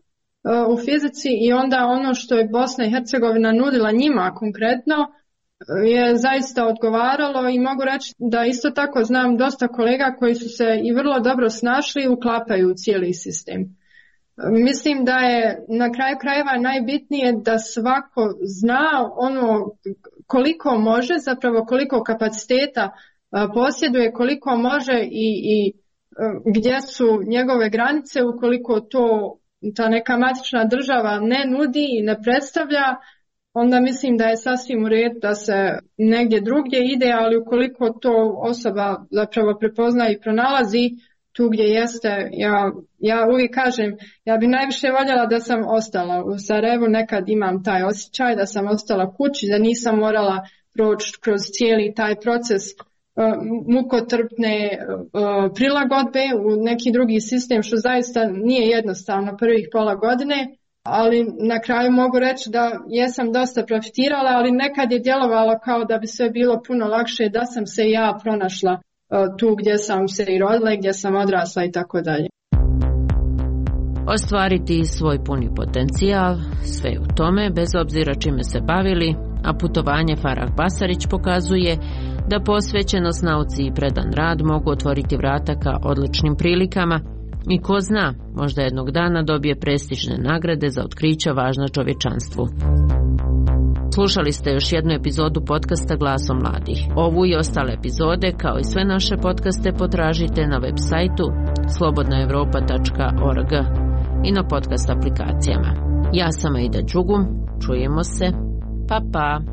u fizici i onda ono što je Bosna i Hercegovina nudila njima konkretno je zaista odgovaralo i mogu reći da isto tako znam dosta kolega koji su se i vrlo dobro snašli i uklapaju u cijeli sistem. Mislim da je na kraju krajeva najbitnije da svako zna ono koliko može, zapravo koliko kapaciteta posjeduje, koliko može i, i gdje su njegove granice ukoliko to ta neka matična država ne nudi i ne predstavlja, onda mislim da je sasvim u redu da se negdje drugdje ide, ali ukoliko to osoba zapravo prepozna i pronalazi tu gdje jeste, ja, ja uvijek kažem, ja bi najviše voljela da sam ostala u Sarajevu, nekad imam taj osjećaj da sam ostala kući, da nisam morala proći kroz cijeli taj proces uh, mukotrpne uh, prilagodbe u neki drugi sistem, što zaista nije jednostavno prvih pola godine, ali na kraju mogu reći da jesam dosta profitirala, ali nekad je djelovalo kao da bi sve bilo puno lakše da sam se ja pronašla tu gdje sam se i rodila, gdje sam odrasla i tako dalje.
Ostvariti svoj puni potencijal, sve u tome, bez obzira čime se bavili, a putovanje Farah Basarić pokazuje da posvećenost nauci i predan rad mogu otvoriti vrata ka odličnim prilikama i ko zna, možda jednog dana dobije prestižne nagrade za otkrića važna čovječanstvu. Slušali ste još jednu epizodu podcasta Glasom mladih. Ovu i ostale epizode, kao i sve naše podcaste, potražite na web sajtu slobodna evropa tačka org i na podcast aplikacijama. Ja sam Aida Đugum, čujemo se, pa pa!